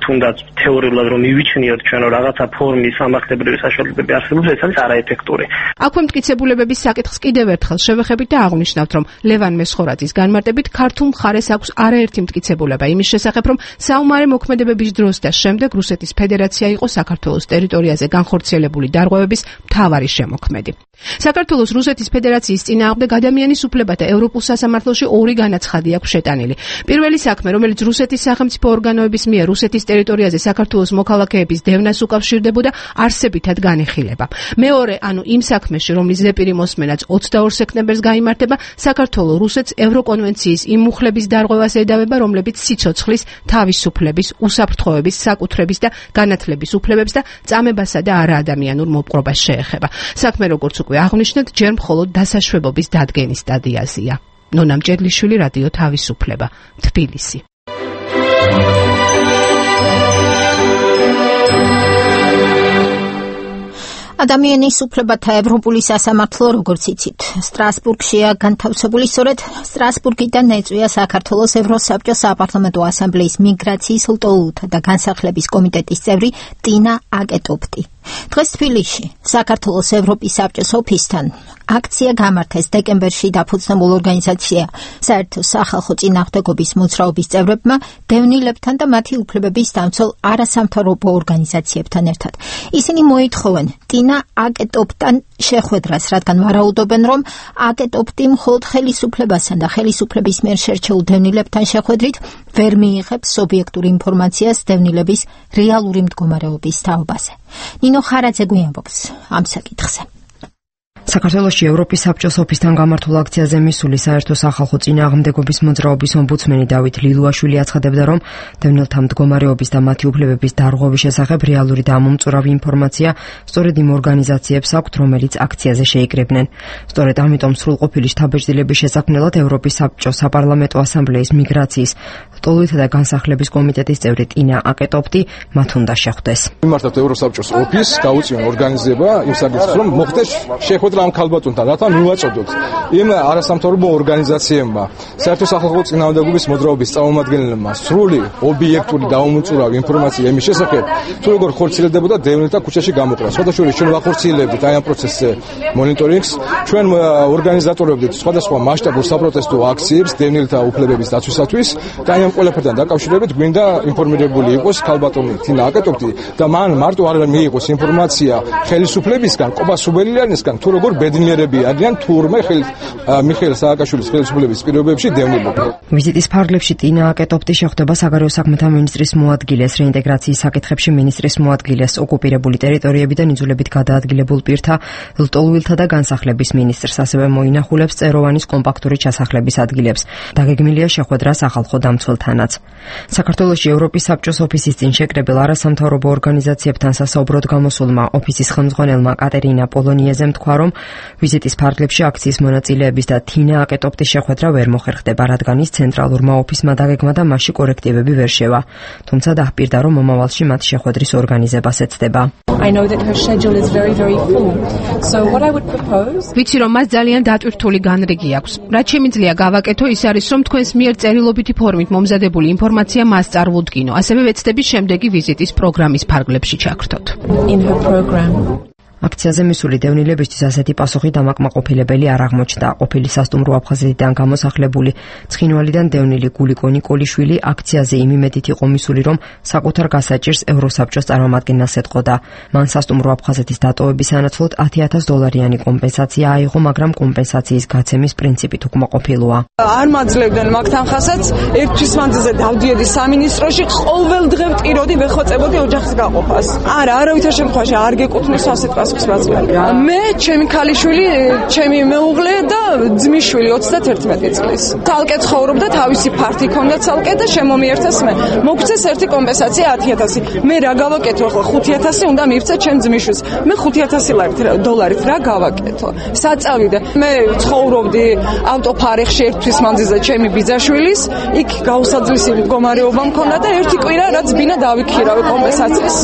თუნდაც თეორიულად რომ მივიჩნიოთ ჩვენ რაღაცა ფორმის სამართლებრივი საშუალებები არსებობს, ეს არის არაეფექტური. აქვე მტკიცებულებების საკითხს კიდევ ერთხელ შევეხებით და აღვნიშნავთ, რომ ლევან მესხორაძის განმარტებით ქართულ მხარეს აქვს არაერთი მტკიცებულება იმის შესახებ, რომ საომარი მოქმედებების დროს და შემდეგ რუსეთის ფედერაცია იყო საქართველოს ტერიტორიაზე განხორციელებული დარღვევების მთავარი შემოქმედი. საქართველოს რუსეთის ფედერაციის წინააღმდეგ ადამიანის უფლებათა ევროპულ სასამართლოში 2 განაცხადი აქვს შეტანილი. პირველი საქმე, რომელიც რუსეთის სახელმწიფო ორგანოების მიერ რუსეთის ტერიტორიაზე საქართველოს მოქალაქეების დევნას უკავშირდებოდა, არსებითად განიხილება. მეორე, ანუ იმ საქმეში, რომლის ზეპირი მოსმენაც 22 სექტემბერს გაიმართება, საქართველოს რუსეთს ევროკონვენციის იმ მუხლების დარღვევას ედავება, რომლებიც სიცოცხლის, თავისუფლების, უსაფრთხოების, საკუთრების და განათლების უფლებებს და წამებასა და არაადამიანურ მოპყრობას შეეხება. საქმე როგორც უკვე აღნიშნეთ, ჯერ მხოლოდ დასაშვებობის დადგენის სტადიაზეა. ნონა მჭედლიშვილი, რადიო თავისუფლება, თბილისი. ადამიანის უფლებათა ევროპული სასამართლო, როგორც იცით, სტრასბურგშია განთავსებული. სწორედ სტრასბურგიდან ეწვია საქართველოს ევროსაბჭოს საპარლამენტო ასამბლეის მიგრაციის, ლტოლვილთა და განსახლების კომიტეტის წევრი ტინა აკეტოპტი. დღეს თბილისში საქართველოს ევროპის საბჭოს ოფისთან აქცია გამართეს დეკემბერში დაფუძნებულ ორგანიზაცია საერთო სახალხო წინააღმდეგობის მოძრაობის წევრებმა დევნილებთან და მათი უფლებების დამცველ არასამთავრობო ორგანიზაციებთან ერთად. ისინი მოითხოვენ ტინა აკეტოპტან შეხვედრას, რადგან ვარაუდობენ, რომ აკეტოპტი მხოლოდ ხელისუფლებასთან და ხელისუფლების მიერ შერჩეულ დევნილებთან შეხვედრით ვერ მიიღებს სუბიექტურ ინფორმაციას დევნილების რეალური მდგომარეობის თაობაზე. ნინო ხარაძე გვიამბობს ამ საკითხზე. საქართველოში ევროპის საბჭოს ოფისთან გამართულ აქციაზე მისული საერთო სახალხო წინააღმდეგობის მოძრაობის ომბუდსმენი დავით ლილუაშვილი აცხადებდა, რომ დევნილთა მდგომარეობის და მათი უფლებების დარღვევის შესახებ რეალური და ამომწურავი ინფორმაცია სწორედ იმ ორგანიზაციებს აქვთ, რომელიც აქციაზე შეიკრიბნენ. სწორედ ამიტომ სრულყოფილი შთაბეჭდილების შესაქმნელად ევროპის საბჭოს საპარლამენტო ასამბლეის მიგრაციის, ლტოლვილთა და განსახლების კომიტეტის წევრი ტინა აკეტოპტი მათ უნდა შეხვდეს. მიმართავთ ევროსაბჭოს ოფისს, გაუწიონ ორგანიზება იმ საკითხს, რომ მოხდეს შეხვედრა ამ ქალბატონთან, რათა მივაწოდოთ იმ არასამთავრობო ორგანიზაციებმა, საერთო სახალხო წინააღმდეგობის მოძრაობის წარმომადგენლებმა სრული, ობიექტური და ამომწურავი ინფორმაცია იმის შესახებ, თუ როგორ ხორციელდებოდა დევნილთა ქუჩაში გამოყრა. სხვადასხვა ჩვენ ვახორციელებდით აი ამ პროცესზე მონიტორინგს, ჩვენ ორგანიზატორებდით სხვადასხვა მასშტაბურ საპროტესტო აქციებს დევნილთა უფლებების დაცვისათვის და აი ამ ყველაფერთან დაკავშირებით გვინდა ინფორმირებული იყოს ქალბატონი ტინა აკეტოპტი და მან მარტო არ მიიღოს ინფორმაცია ხელისუფლებისგან, ყოფა სუბელიანისგან, თუ როგორ ბედნიერები არიან თურმე მიხეილ სააკაშვილის ხელისუფლების პირობებში დევნილები. ვიზიტის ფარგლებში ტინა აკეტოპტი შეხვდება საგარეო საქმეთა მინისტრის მოადგილეს, რეინტეგრაციის საკითხებში მინისტრის მოადგილეს, ოკუპირებული ტერიტორიებიდან იძულებით გადაადგილებულ პირთა, ლტოლვილთა და განსახლების მინისტრს, ასევე მოინახულებს წეროვანის კომპაქტური ჩასახლების ადგილებს. დაგეგმილია შეხვედრა სახალხო დამცველთანაც. საქართველოში ევროპის საბჭოს ოფისის წინ შეკრებილ არასამთავრობო ორგანიზაციებთან სასაუბროდ გამოსულმა ოფისის ხელმძღვანელმა კატერინა პოლონიეზემ თქვა, რომ ვიზიტის ფარგლებში აქციის მონაწილეების და ტინა აკეტოპტის შეხვედრა ვერ მოხერხდება, რადგან ის ცენტრალურმა ოფისმა დაგეგმა და მასში კორექტივები ვერ შევა. თუმცა დაჰპირდა, რომ მომავალში მათ შეხვედრის ორგანიზებას ეცდება. ვიცი, რომ მას ძალიან დატვირთული განრიგი აქვს. რაც შემიძლია გავაკეთო, ის არის, რომ თქვენს მიერ წერილობითი ფორმით მომზადებული ინფორმაცია მას წარვუდგინო. ასევე ვეცდებით შემდეგი ვიზიტის პროგრამის ფარგლებში ჩაგრთოთ. აქციაზე მისული დევნილებისთვის ასეთი პასუხი დამაკმაყოფილებელი არ აღმოჩნდა. ყოფილი სასტუმრო აფხაზეთიდან გამოსახლებული ცხინვალიდან დევნილი გულიკო ნიკოლიშვილი აქციაზე იმ იმედით იყო მისული, რომ საკუთარ გასაჭირს ევროსაბჭოს წარმომადგენელს ეთყოდა. მან სასტუმრო აფხაზეთის დატოვების სანაცვლოდ $10,000 კომპენსაცია აიღო, მაგრამ კომპენსაციის გაცემის პრინციპით უკმაყოფილოა. არ მაძლევდნენ მაგთან ხასაც, ერთვის მანძილზე დავდიოდი სამინისტროში, ყოველ დღე ვტიროდი, ვეხოწებოდი ოჯახის გაყოფას. არავითარ შემთხვევაში არ გეკუთვნის ასეთ 28 წლიანი. მე, ჩემი ქალიშვილი, ჩემი მეუღლე და ძმისშვილი 31 წლის. თალკე ცხოვრობდა, თავისი ფართი ჰქონდა თალკე და შემომიერთეს მე. მოგწეს ერთი კომპენსაცია 10000. მე რა გავაკეთო ახლა 5000 უნდა მივცე ჩემ ძმისშვილს. მე 5000 დოლარით რა გავაკეთო? საწავიდე. მე ცხოვრობდი ავტოფარეხში ერთვის მანძილზე ჩემი ბიძაშვილის, იქ გაუსაძლისი მდგომარეობა მქონდა და ერთი კვირა რაც ბინა დავიქირავე კომპენსაციის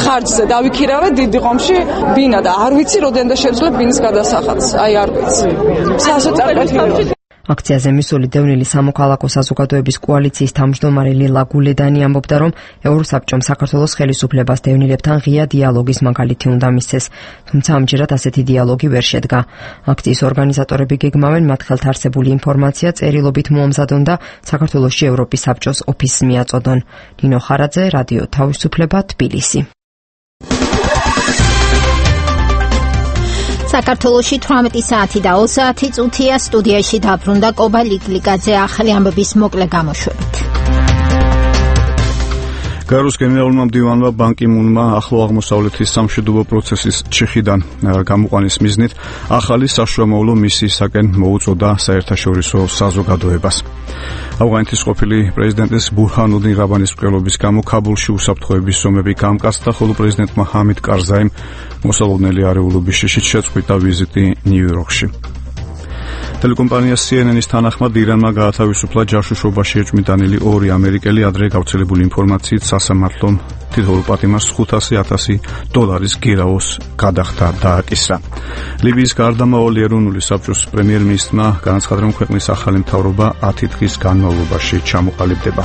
ხარჯზე დავიქირავე დიდი ღომში ბინა და არ ვიცი რამდენდა შეძლებ ბინის გადასახადს. აი არ ვიცი. სასოწარკვეთილი. აქციაზე მისული დევნილი სამოქალაქო საზოგადოების კოალიციის თავმჯდომარე ლილა გულედანი ამბობდა, რომ ევროსაბჭომ საქართველოს ხელისუფლებას დევნილებთან ღია დიალოგის მაგალითი უნდა მისცეს, თუმცა ამჯერად ასეთი დიალოგი ვერ შედგა. აქციის ორგანიზატორები გეგმავენ მათ ხელთ არსებული ინფორმაცია წერილობით მოამზადონ და საქართველოში ევროპის საბჭოს ოფისს მიაწოდონ. ნინო ხარაძე, რადიო თავისუფლება, თბილისი. საქართველოში 18 საათი და 20 წუთია. სტუდიაში დაბრუნდა კობა ლიკლიკაძე ახალი ამბების მოკლე გამოშვებით. გარუს გენერალურმა მდივანმა ბან კი მუნმა ახლო აღმოსავლეთის სამშვიდობო პროცესის ჩიხიდან გამოყვანის მიზნით ახალი საშუალო მისიისაკენ მოუწოდა საერთაშორისო საზოგადოებას. ავღანეთის ყოფილი პრეზიდენტის ბურჰანუდინ რაბანის მკვლელობის გამო ქაბულში უსაფრთხოების ზომები გამკაცდა, ხოლო პრეზიდენტმა ჰამიდ კარზაიმ მოსალოდნელი არეულობის შიშით შეწყვიტა ვიზიტი ნიუ-იორკში. ტელეკომპანია CNN-ის თანახმად ირანმა გაათავისუფლა ჯაშუშობაში ეჭვმიტანილი 2 ამერიკელი, ადრე გავრცელებული ინფორმაციით სასამართლომ თითოეულ პატიმარს $500,000 გირაოს გადახდა დააკისრა. ლიბიის გარდამავალი ეროვნული საბჭოს პრემიერ-მინისტრმა განაცხადა, რომ ქვეყნის ახალი მთავრობა 10 დღის განმავლობაში ჩამოყალიბდება.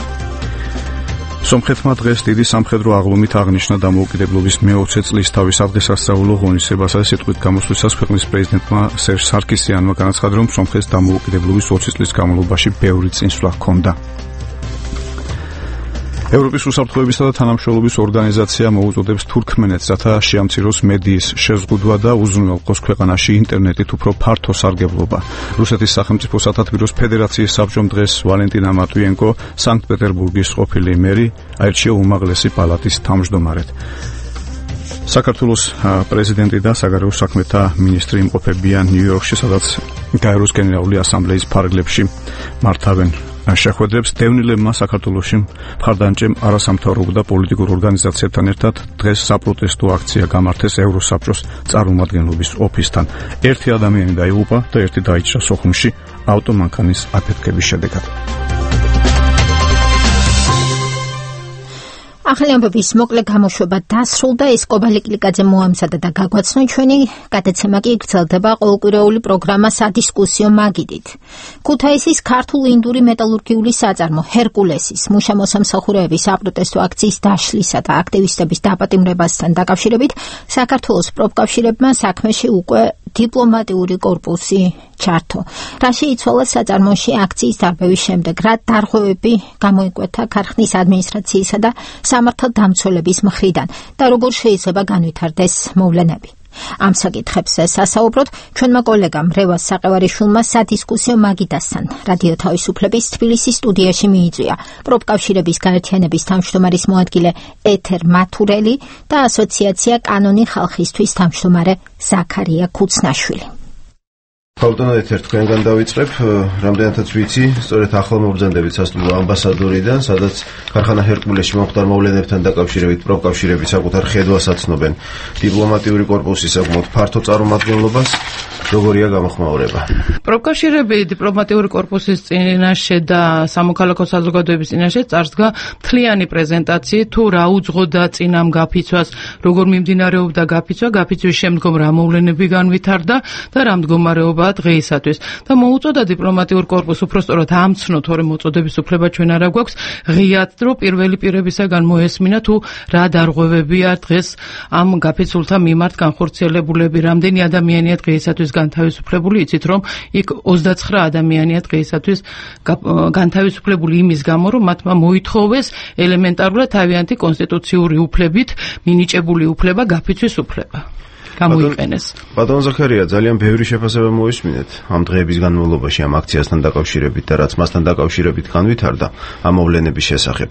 სომხეთმა დღეს დიდი სამხედრო აღლუმით აღნიშნა დამოუკიდებლობის მე-20 წლისთავის დღესასწაულო ღონისძიებასა და სიტყვით გამოსვლისას ქვეყნის პრეზიდენტმა სერჟ სარკისიანმა განაცხადა, რომ სომხეთს დამოუკიდებლობის 20 წლის განმავლობაში ბევრი წინსვლა ჰქონდა. ევროპის უსაფრთხოებისა და თანამშრომლობის ორგანიზაცია მოუწოდებს თურქმენეთს, რათა შეამციროს მედიის შეზღუდვა და უზრუნველყოს ქვეყანაში ინტერნეტით უფრო ფართო სარგებლობა. რუსეთის სახელმწიფო სათათბიროს ფედერაციის საბჭომ დღეს ვალენტინა მატვიენკო სანქტ-პეტერბურგის ყოფილი მერი აირჩია უმაღლესი პალატის თავმჯდომარედ. საქართველოს პრეზიდენტი და საგარეო საქმეთა მინისტრი იმყოფებიან ნიუ-იორკში, სადაც გაეროს გენერალური ასამბლეის ფარგლებში მართავენ შეხვედრებს. დევნილებმა საქართველოში მხარდამჭერ არასამთავრობო და პოლიტიკურ ორგანიზაციებთან ერთად დღეს საპროტესტო აქცია გამართეს ევროსაბჭოს წარმომადგენლობის ოფისთან. ერთი ადამიანი დაიღუპა და ერთი დაიჭრა სოხუმში ავტომანქანის აფეთქების შედეგად. ახალი ამბების მოკლე გამოშვება დასრულდა. ეს კობა ლიკლიკაძე მოამზადა და გაგვაცნო. ჩვენი გადაცემა კი გრძელდება ყოველკვირეული პროგრამა სადისკუსიო მაგიდით. ქუთაისის ქართულ-ინდური მეტალურგიული საწარმო ჰერკულესის მუშა-მოსამსახურეების საპროტესტო აქციის დაშლისა და აქტივისტების დაპატიმრებასთან დაკავშირებით საქართველოს პროფკავშირებმა საქმეში უკვე დიპლომატიური კორპუსი ჩართო. რაში იცვალა საწარმოში აქციის დარბევის შემდეგ, რა დარღვევები გამოიკვეთა ქარხნის ადმინისტრაციისა და სამართალდამცველების მხრიდან და როგორ შეიძლება განვითარდეს მოვლენები. ამ საკითხებზე სასაუბროთ ჩვენმა კოლეგამ რევას საყევარიშვილმა სადისკუსიო მაგიდასთან რადიო თავისუფლების თბილისის სტუდიაში მიიწვია პროფკავშირების გაერთიანების თავმჯდომარის მოადგილე ეთერ მათურელი და ასოციაცია კანონი ხალხისთვის თავმჯდომარე ზაქარია ქუცნაშვილი. ბატონო ეთერ, თქვენგან დავიწყებ, რამდენადაც ვიცი, სწორედ ახალ მობრძანდებით სასტუმრო ამბასადორიდან, სადაც ქარხანა ჰერკულესში მომხდარ მოვლენებთან დაკავშირებით პროფკავშირები საკუთარ ხედვას აცნობენ დიპლომატიური კორპუსის საკმაოდ ფართო წარმომადგენლობას. როგორია გამოხმაურება? პროფკავშირები დიპლომატიური კორპუსის წინაშე და სამოქალაქო საზოგადოების წინაშე წარსდგა მთლიანი პრეზენტაციით, თუ რა უძღოდა წინამ გაფიცვას, როგორ მიმდინარეობდა გაფიცვა, გაფიცვის შემდგომ რა მოვლენები განვითარდა და რა მდგომარეობაა დღეისათვის. და მოუწოდა დიპლომატიურ კორპუსს უпростоრად ამცნო, თორემ მოწოდების უფლება ჩვენ არ აქვს, ღიად დრო პირველი პირებისაგან მოესმინა თუ რა დარღვევებია დღეს ამ გაფიცულთა მიმართ განხორციელებულები, რამდენი ადამიანია დღეისათვის განთავისუფლებული. იცით რომ იქ 29 ადამიანია დღეისათვის განთავისუფლებული იმის გამო, რომ მათმა მოითხოვეს ელემენტარულად თავიანთი კონსტიტუციური უფლებით მინიჭებული უფლება, გაფიცვის უფლება. გამოიყენეს. ბატონ ზაქარია, ძალიან ბევრი შეფასება მოისმინეთ ამ დღეების განმავლობაში ამ აქციასთან დაკავშირებით და რაც მასთან დაკავშირებით განვითარდა ამ მოვლენების შესახებ.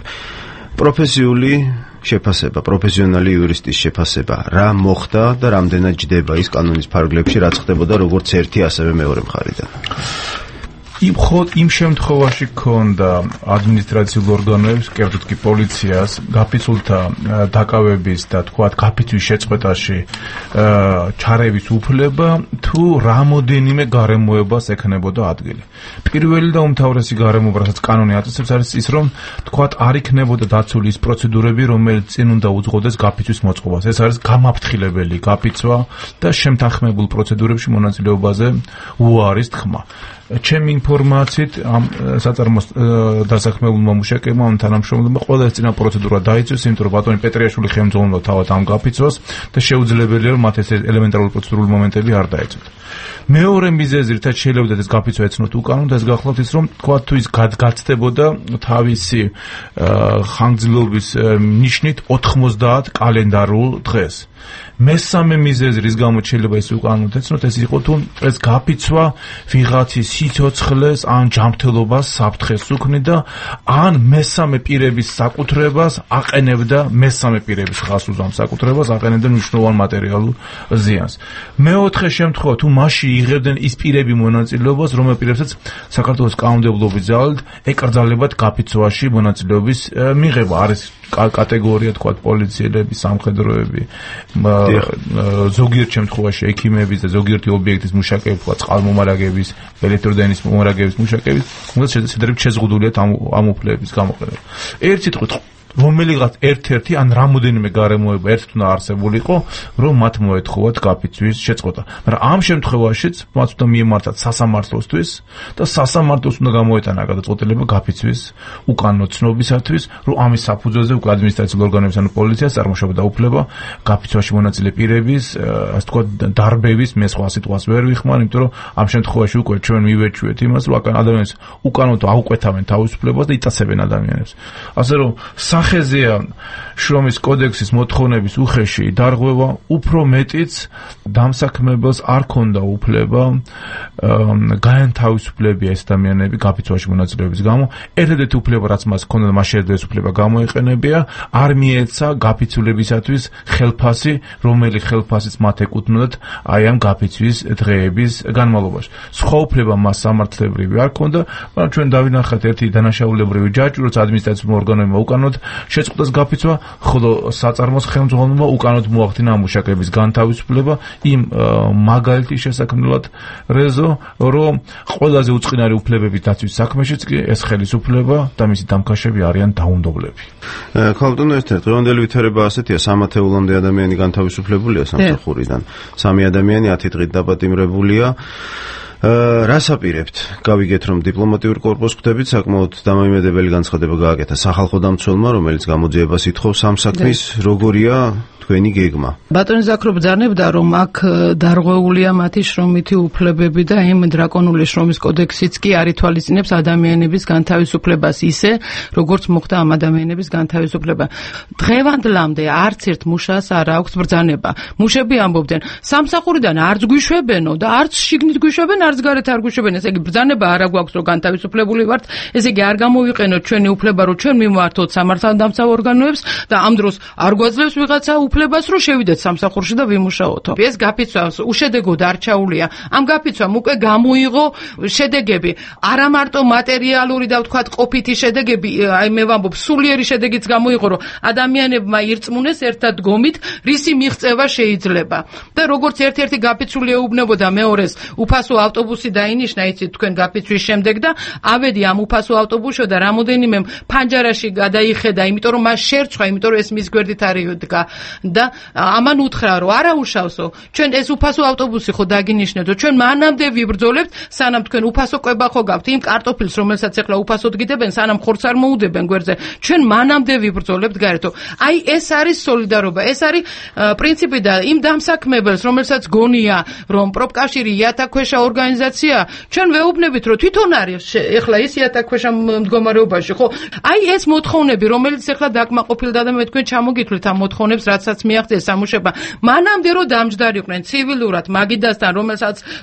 პროფესიული შეფასება, პროფესიონალი იურისტის შეფასება, რა მოხდა და რამდენად ჯდება ის კანონის ფარგლებში, რაც ხდებოდა როგორც ერთი, ასევე მეორე მხარიდან. იმ შემთხვევაში ქონდა ადმინისტრაციულ ორგანოებს, კერძოდ კი პოლიციას, გაფიცულთა დაკავების და თქვათ გაფიცვის შეწყვეტაში ჩარევის უფლება, თუ რამოდენიმე გარემოებას ექნებოდა ადგილი. პირველი და უმთავრესი გარემოება, რასაც კანონი აწესებს, არის ის, რომ თქვათ არ იქნებოდა დაცული ის პროცედურები, რომელიც წინ უნდა უძღოდეს გაფიცვის მოწყობას. ეს არის გამაფრთხილებელი გაფიცვა და შემთანხმებულ პროცედურებში მონაწილეობაზე უარის თქმა. ჩემი ინფორმაციით ამ საწარმოს დასაქმებულმა მუშაკებმა ამ თანამშრომლებმა ყველა ეს წინა პროცედურა დაიწვეს, იმიტომ რომ ბატონი პეტრიაშვილი ხელმძღვანელობდა თავად ამ გაფიცვას და შეუძლებელია რომ მათ ეს ელემენტარული პროცედურული მომენტები არ დაეწვათ. მეორე მიზეზი, რითაც შეიძლება ეს გაფიცვა ეცნოთ უკანონოდ, ეს გახლავთ ის, რომ თქვა თუ ის გაცდებოდა თავისი ხანგრძლივობის ნიშნით 90 კალენდარულ დღეს. მესამე მიზეზი, რის გამოც შეიძლება ეს უკანონოდ ეცნოთ, ეს იყო თუ ეს გაფიცვა ვიღაცის სიცოცხლეს ან ჯანმრთელობას საფრთხეს უქმნიდა, ან მესამე პირების საკუთრებას აყენებდა, მესამე პირების ხაზს უზამს საკუთრებას აყენებდა მნიშვნელოვან მატერიალურ ზიანს. მეოთხე შემთხვევა, თუ მასში იღებდნენ ის პირები მონაწილეობას, რომელ პირებსაც საქართველოს კანონმდებლობის ძალით ეკრძალებათ გაფიცვაში მონაწილეობის მიღება. არის კატეგორია, თქვათ, პოლიციელები, სამხედროები, ზოგიერთ შემთხვევაში ექიმების და ზოგიერთი ობიექტის მუშაკები, თქვათ, წყალმომარაგების, ელექტროდენის მომარაგების მუშაკები, რომელსაც შეზღუდულიათ ამ უფლებების გამოყენება. ერთ სიტყვით, რომელიღაც ერთ-ერთი ან რამოდენიმე გარემოება ერთად უნდა არსებულიყო, რომ მათ მოეთხოვათ გაფიცვის შეწყვეტა. მაგრამ ამ შემთხვევაშიც მათ უნდა მიემართათ სასამართლოსთვის და სასამართლოს უნდა გამოეტანა გადაწყვეტილება გაფიცვის უკანონოცნობისათვის, რომ ამის საფუძველზე უკვე ადმინისტრაციულ ორგანოებს ანუ პოლიციას წარმოშობა და უფლება გაფიცვაში მონაწილე პირების, ასე თქვა, დარბევის მე სხვა სიტყვას ვერ ვიხმარ, იმიტომ რომ ამ შემთხვევაში უკვე ჩვენ მივეჩვიეთ იმას, რომ ადამიანს უკანონოდ აუკვეთავენ თავისუფლებას და იტაცებენ ადამიანებს. ასე რომ სახეზეა შრომის კოდექსის მოთხოვნების უხეში დარღვევა, უფრო მეტიც დამსაქმებელს არ ქონდა უფლება გაენთავისუფლებია ეს ადამიანები გაფიცვაში მონაწილეობის გამო. ერთადერთი უფლება, რაც მას ქონდა, მას შეეძლო ეს უფლება გამოეყენებია, არ მიეცა გაფიცულებისათვის ხელფასი, რომელი ხელფასიც მათ ეკუთვნოდათ აი ამ გაფიცვის დღეების განმავლობაში. სხვა უფლება მას სამართლებრივი არ ქონდა, მაგრამ ჩვენ დავინახეთ ერთი დანაშაულებრივი ჯაჭვი, როცა ადმინისტრაციულ ორგანოებმა უკანონოდ შეწყვეტეს გაფიცვა, ხოლო საწარმოს ხელმძღვანელმა უკანონოდ მოახდინა ამ მუშაკების განთავისუფლება იმ მაგალითის შესაქმნელად რეზო, რომ ყველაზე უწყინარი უფლებების დაცვის საქმეშიც კი ეს ხელისუფლება და მისი დამქაშები არიან დაუნდობლები. ქალბატონო, ერთ-ერთი დღევანდელი ვითარება ასეთია, 3 ათეულამდე ადამიანი განთავისუფლებულია სამსახურიდან. 3 ადამიანი 10 დღით დაპატიმრებულია. რას აპირებთ? გავიგეთ, რომ დიპლომატიური კორპუსს ხვდებით, საკმაოდ დამოიმედებელი განცხადება გააკეთა სახალხო დამცველმა, რომელიც გამოძიებას ითხოვს ამ საქმის, როგორია თქვენი გეგმა? ბატონი ზაქრო ბრძანებდა, რომ აქ დარღვეულია მათი შრომითი უფლებები და იმ დრაკონული შრომის კოდექსიც კი არ ითვალისწინებს ადამიანების განთავისუფლებას ისე, როგორც მოხდა ამ ადამიანების განთავისუფლება. დღევანდლამდე არც ერთ მუშას არ აქვს ბრძანება. მუშები ამბობდნენ, სამსახურიდან არც გვიშვებენო და არც შიგნით გვიშვებენ, არც გარეთ არ გვიშვებენ. ესე იგი ბრძანება არ აქვს, რომ განთავისუფლებული ვართ. ესე იგი არ გამოვიყენოთ ჩვენი უფლება, რომ ჩვენ მიმართოთ სამართალდამცავ ორგანოებს და ამ დროს არ გვაძლევს ვიღაცა უფლებას, რომ შევიდეთ სამსახურში და ვიმუშაოთო. ეს გაფიცვას უშედეგოდ არ ჩაულია. ამ გაფიცვამ უკვე გამოიღო შედეგები. არა მარტო მატერიალური და ვთქვათ ყოფითი შედეგები, აი მე ვამბობ, სულიერი შედეგიც გამოიღო, რომ ადამიანებმა ირწმუნეს ერთად დგომით, რისი მიღწევა შეიძლება. და როგორც ერთ-ერთი გაფიცული ეუბნებოდა მეორეს, უფასო ავტობუსი დაინიშნა, იცით თქვენ გაფიცვის შემდეგ და ავედი ამ უფასო ავტობუსში და რამოდენიმე ფანჯარაში გადაიხედა, იმიტომ რომ მას შერჩხა, იმიტომ რომ ეს მის გვერდით არიდგა. და ამან უთხრა, რომ არა უშავსო, ჩვენ ეს უფასო ავტობუსი ხო დაგინიშნებდო, ჩვენ მანამდე ვიბრძოლებთ, სანამ თქვენ უფასო კვება ხო გაქვთ იმ კარტოფილს, რომელსაც ახლა უფასოდ გიდებენ, სანამ ხორცს არ მოუდებენ გვერდზე, ჩვენ მანამდე ვიბრძოლებთ გაერთო. აი ეს არის სოლიდარობა, ეს არის პრინციპი და იმ დამსაქმებელს, რომელსაც გონია, რომ პროფკავშირი იათაქვეშა ორგანიზაცია, ჩვენ ვეუბნებით, რომ თვითონ არის ახლა ის იათაქვეშა მდგომარეობაში, ხო? აი ეს მოთხოვნები, რომელიც ახლა დაკმაყოფილდა და მე თქვენ ჩამოგითვლით ამ მოთხოვნებს, რაც რომელსაც მიაღწიეს სამუშაობა, მანამდე რომ დამჯდარიყვნენ ცივილურად მაგიდასთან,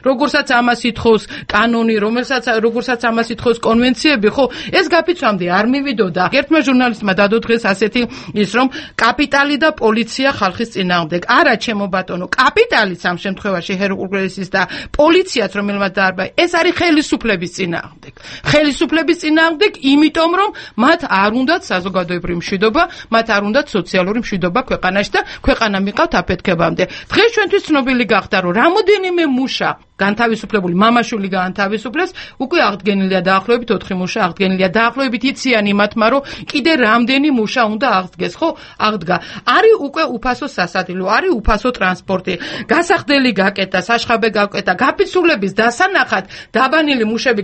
როგორცაც ამას ითხოვს კანონი, როგორცაც ამას ითხოვს კონვენციები, ხო, ეს გაფიცვამდე არ მივიდოდა. ერთმა ჟურნალისტმა დადო დღეს ასეთი ის რომ კაპიტალი და პოლიცია ხალხის წინააღმდეგ. არა, ჩემო ბატონო, კაპიტალიც ამ შემთხვევაში ჰერკულესის და პოლიციაც რომელმაც დაარბა, ეს არის ხელისუფლების წინააღმდეგ. ხელისუფლების წინააღმდეგ, იმიტომ რომ მათ არ უნდათ საზოგადოებრივი მშვიდობა, მათ არ უნდათ სოციალური მშვიდობა ქვეყანაში და ქვეყანა მიყავთ აფეთქებამდე. დღეს ჩვენთვის ცნობილი გახდა, რომ რამოდენიმე მუშა განთავისუფლებული მამაშვილი გაანთავისუფლეს, უკვე აღდგენილია დაახლოებით 4 მუშა აღდგენილია. დაახლოებით იციან იმათმა, რომ კიდე რამდენი მუშა უნდა აღდგეს, ხო? აღდგა. არის უკვე უფასო სასადილო, არის უფასო ტრანსპორტი, გასახდელი გაკეტა, საშხაბე გაკეტა, გაფიცულების დასანახად დაბანილი მუშები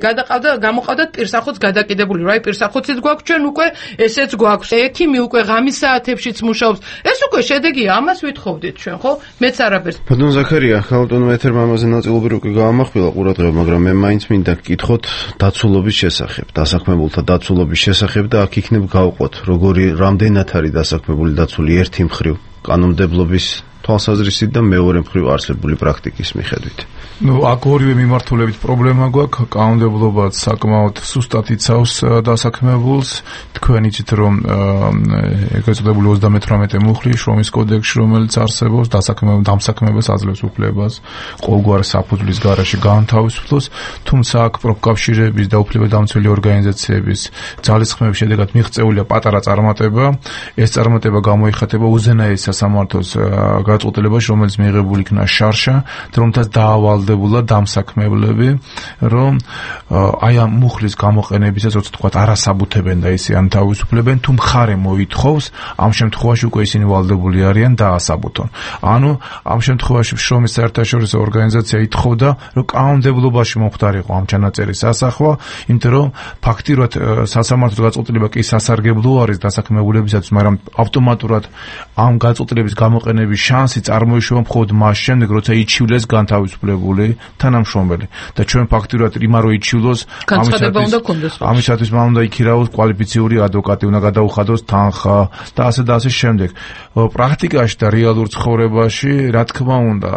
გამოყავდათ პირსახოც გადაკიდებული. რა პირსახოციც გვაქვს ჩვენ უკვე, ესეც გვაქვს. ექიმი უკვე ღამის საათებშიც მუშაობს. ეს უკვე შედეგია, ამას ვითხოვდით ჩვენ, ხო? მეც არაფერს. ბატონ ზაქარია, ხალხტონო ეთერმა ამაზე ნაწილობრივ გაამახვილა ყურადღება, მაგრამ მე მაინც მინდა გკითხოთ დაცულობის შესახებ, დასაქმებულთა დაცულობის შესახებ და აქ იქნებ გავყოთ, რამდენად არის დასაქმებული დაცული ერთი მხრივ კანონმდებლობის თვალსაზრისით და მეორე მხრივ არსებული პრაქტიკის მიხედვით. აქ ორივე მიმართულებით პრობლემა გვაქვს, კანონმდებლობაც საკმაოდ სუსტად იცავს დასაქმებულს. თქვენ იცით, რომ ეგრეთ წოდებული 38 მუხლი შრომის კოდექსში, რომელიც არსებობს, დამსაქმებას აძლევს უფლებას ყოველგვარ საფუძვლის გარეშე გაანთავისუფლოს, თუმცა აქ პროფკავშირების და უფლებადამცველი ორგანიზაციების ძალისხმევის შედეგად მიღწეულია პატარა წარმატება. ეს წარმატება გამოიხატება უზენაეს სასამართლოს გაწყვეტილებაში, რომელიც მიიღებული იქნა შარშა, რომლითაც დაავალდებულა დამსაქმებლები, რომ აი ამ მუხლის გამოყენებისას, როცა თქვა არასაბუთებენ და ისე ანთავისუფლებენ, თუ მხარე მოითხოვს, ამ შემთხვევაში უკვე ისინი ვალდებული არიან დაასაბუთონ. ანუ ამ შემთხვევაში შრომის საერთაშორისო ორგანიზაცია ითხოვდა, რომ კანონმდებლობაში მომხდარიყო ამ ჩანაწერის ასახვა, იმიტომ რომ ფაქტიურად სასამართლოს გაწყვეტილება კი სასარგებლო არის დასაქმებულებისათვის, მაგრამ ავტომატურად ამ გაწყვეტილების გამოყენების შანსი წარმოიშვა მხოლოდ მას შემდეგ, როცა იჩივლეს განთავისუფლებული თანამშრომელი და ჩვენ ფაქტიურად იმა რო იჩივლოს, ამისათვის მან უნდა იქირავოს კვალიფიციური ადვოკატი, უნდა გადაუხადოს თანხა და ასე შემდეგ. პრაქტიკაში და რეალურ ცხოვრებაში, რა თქმა უნდა,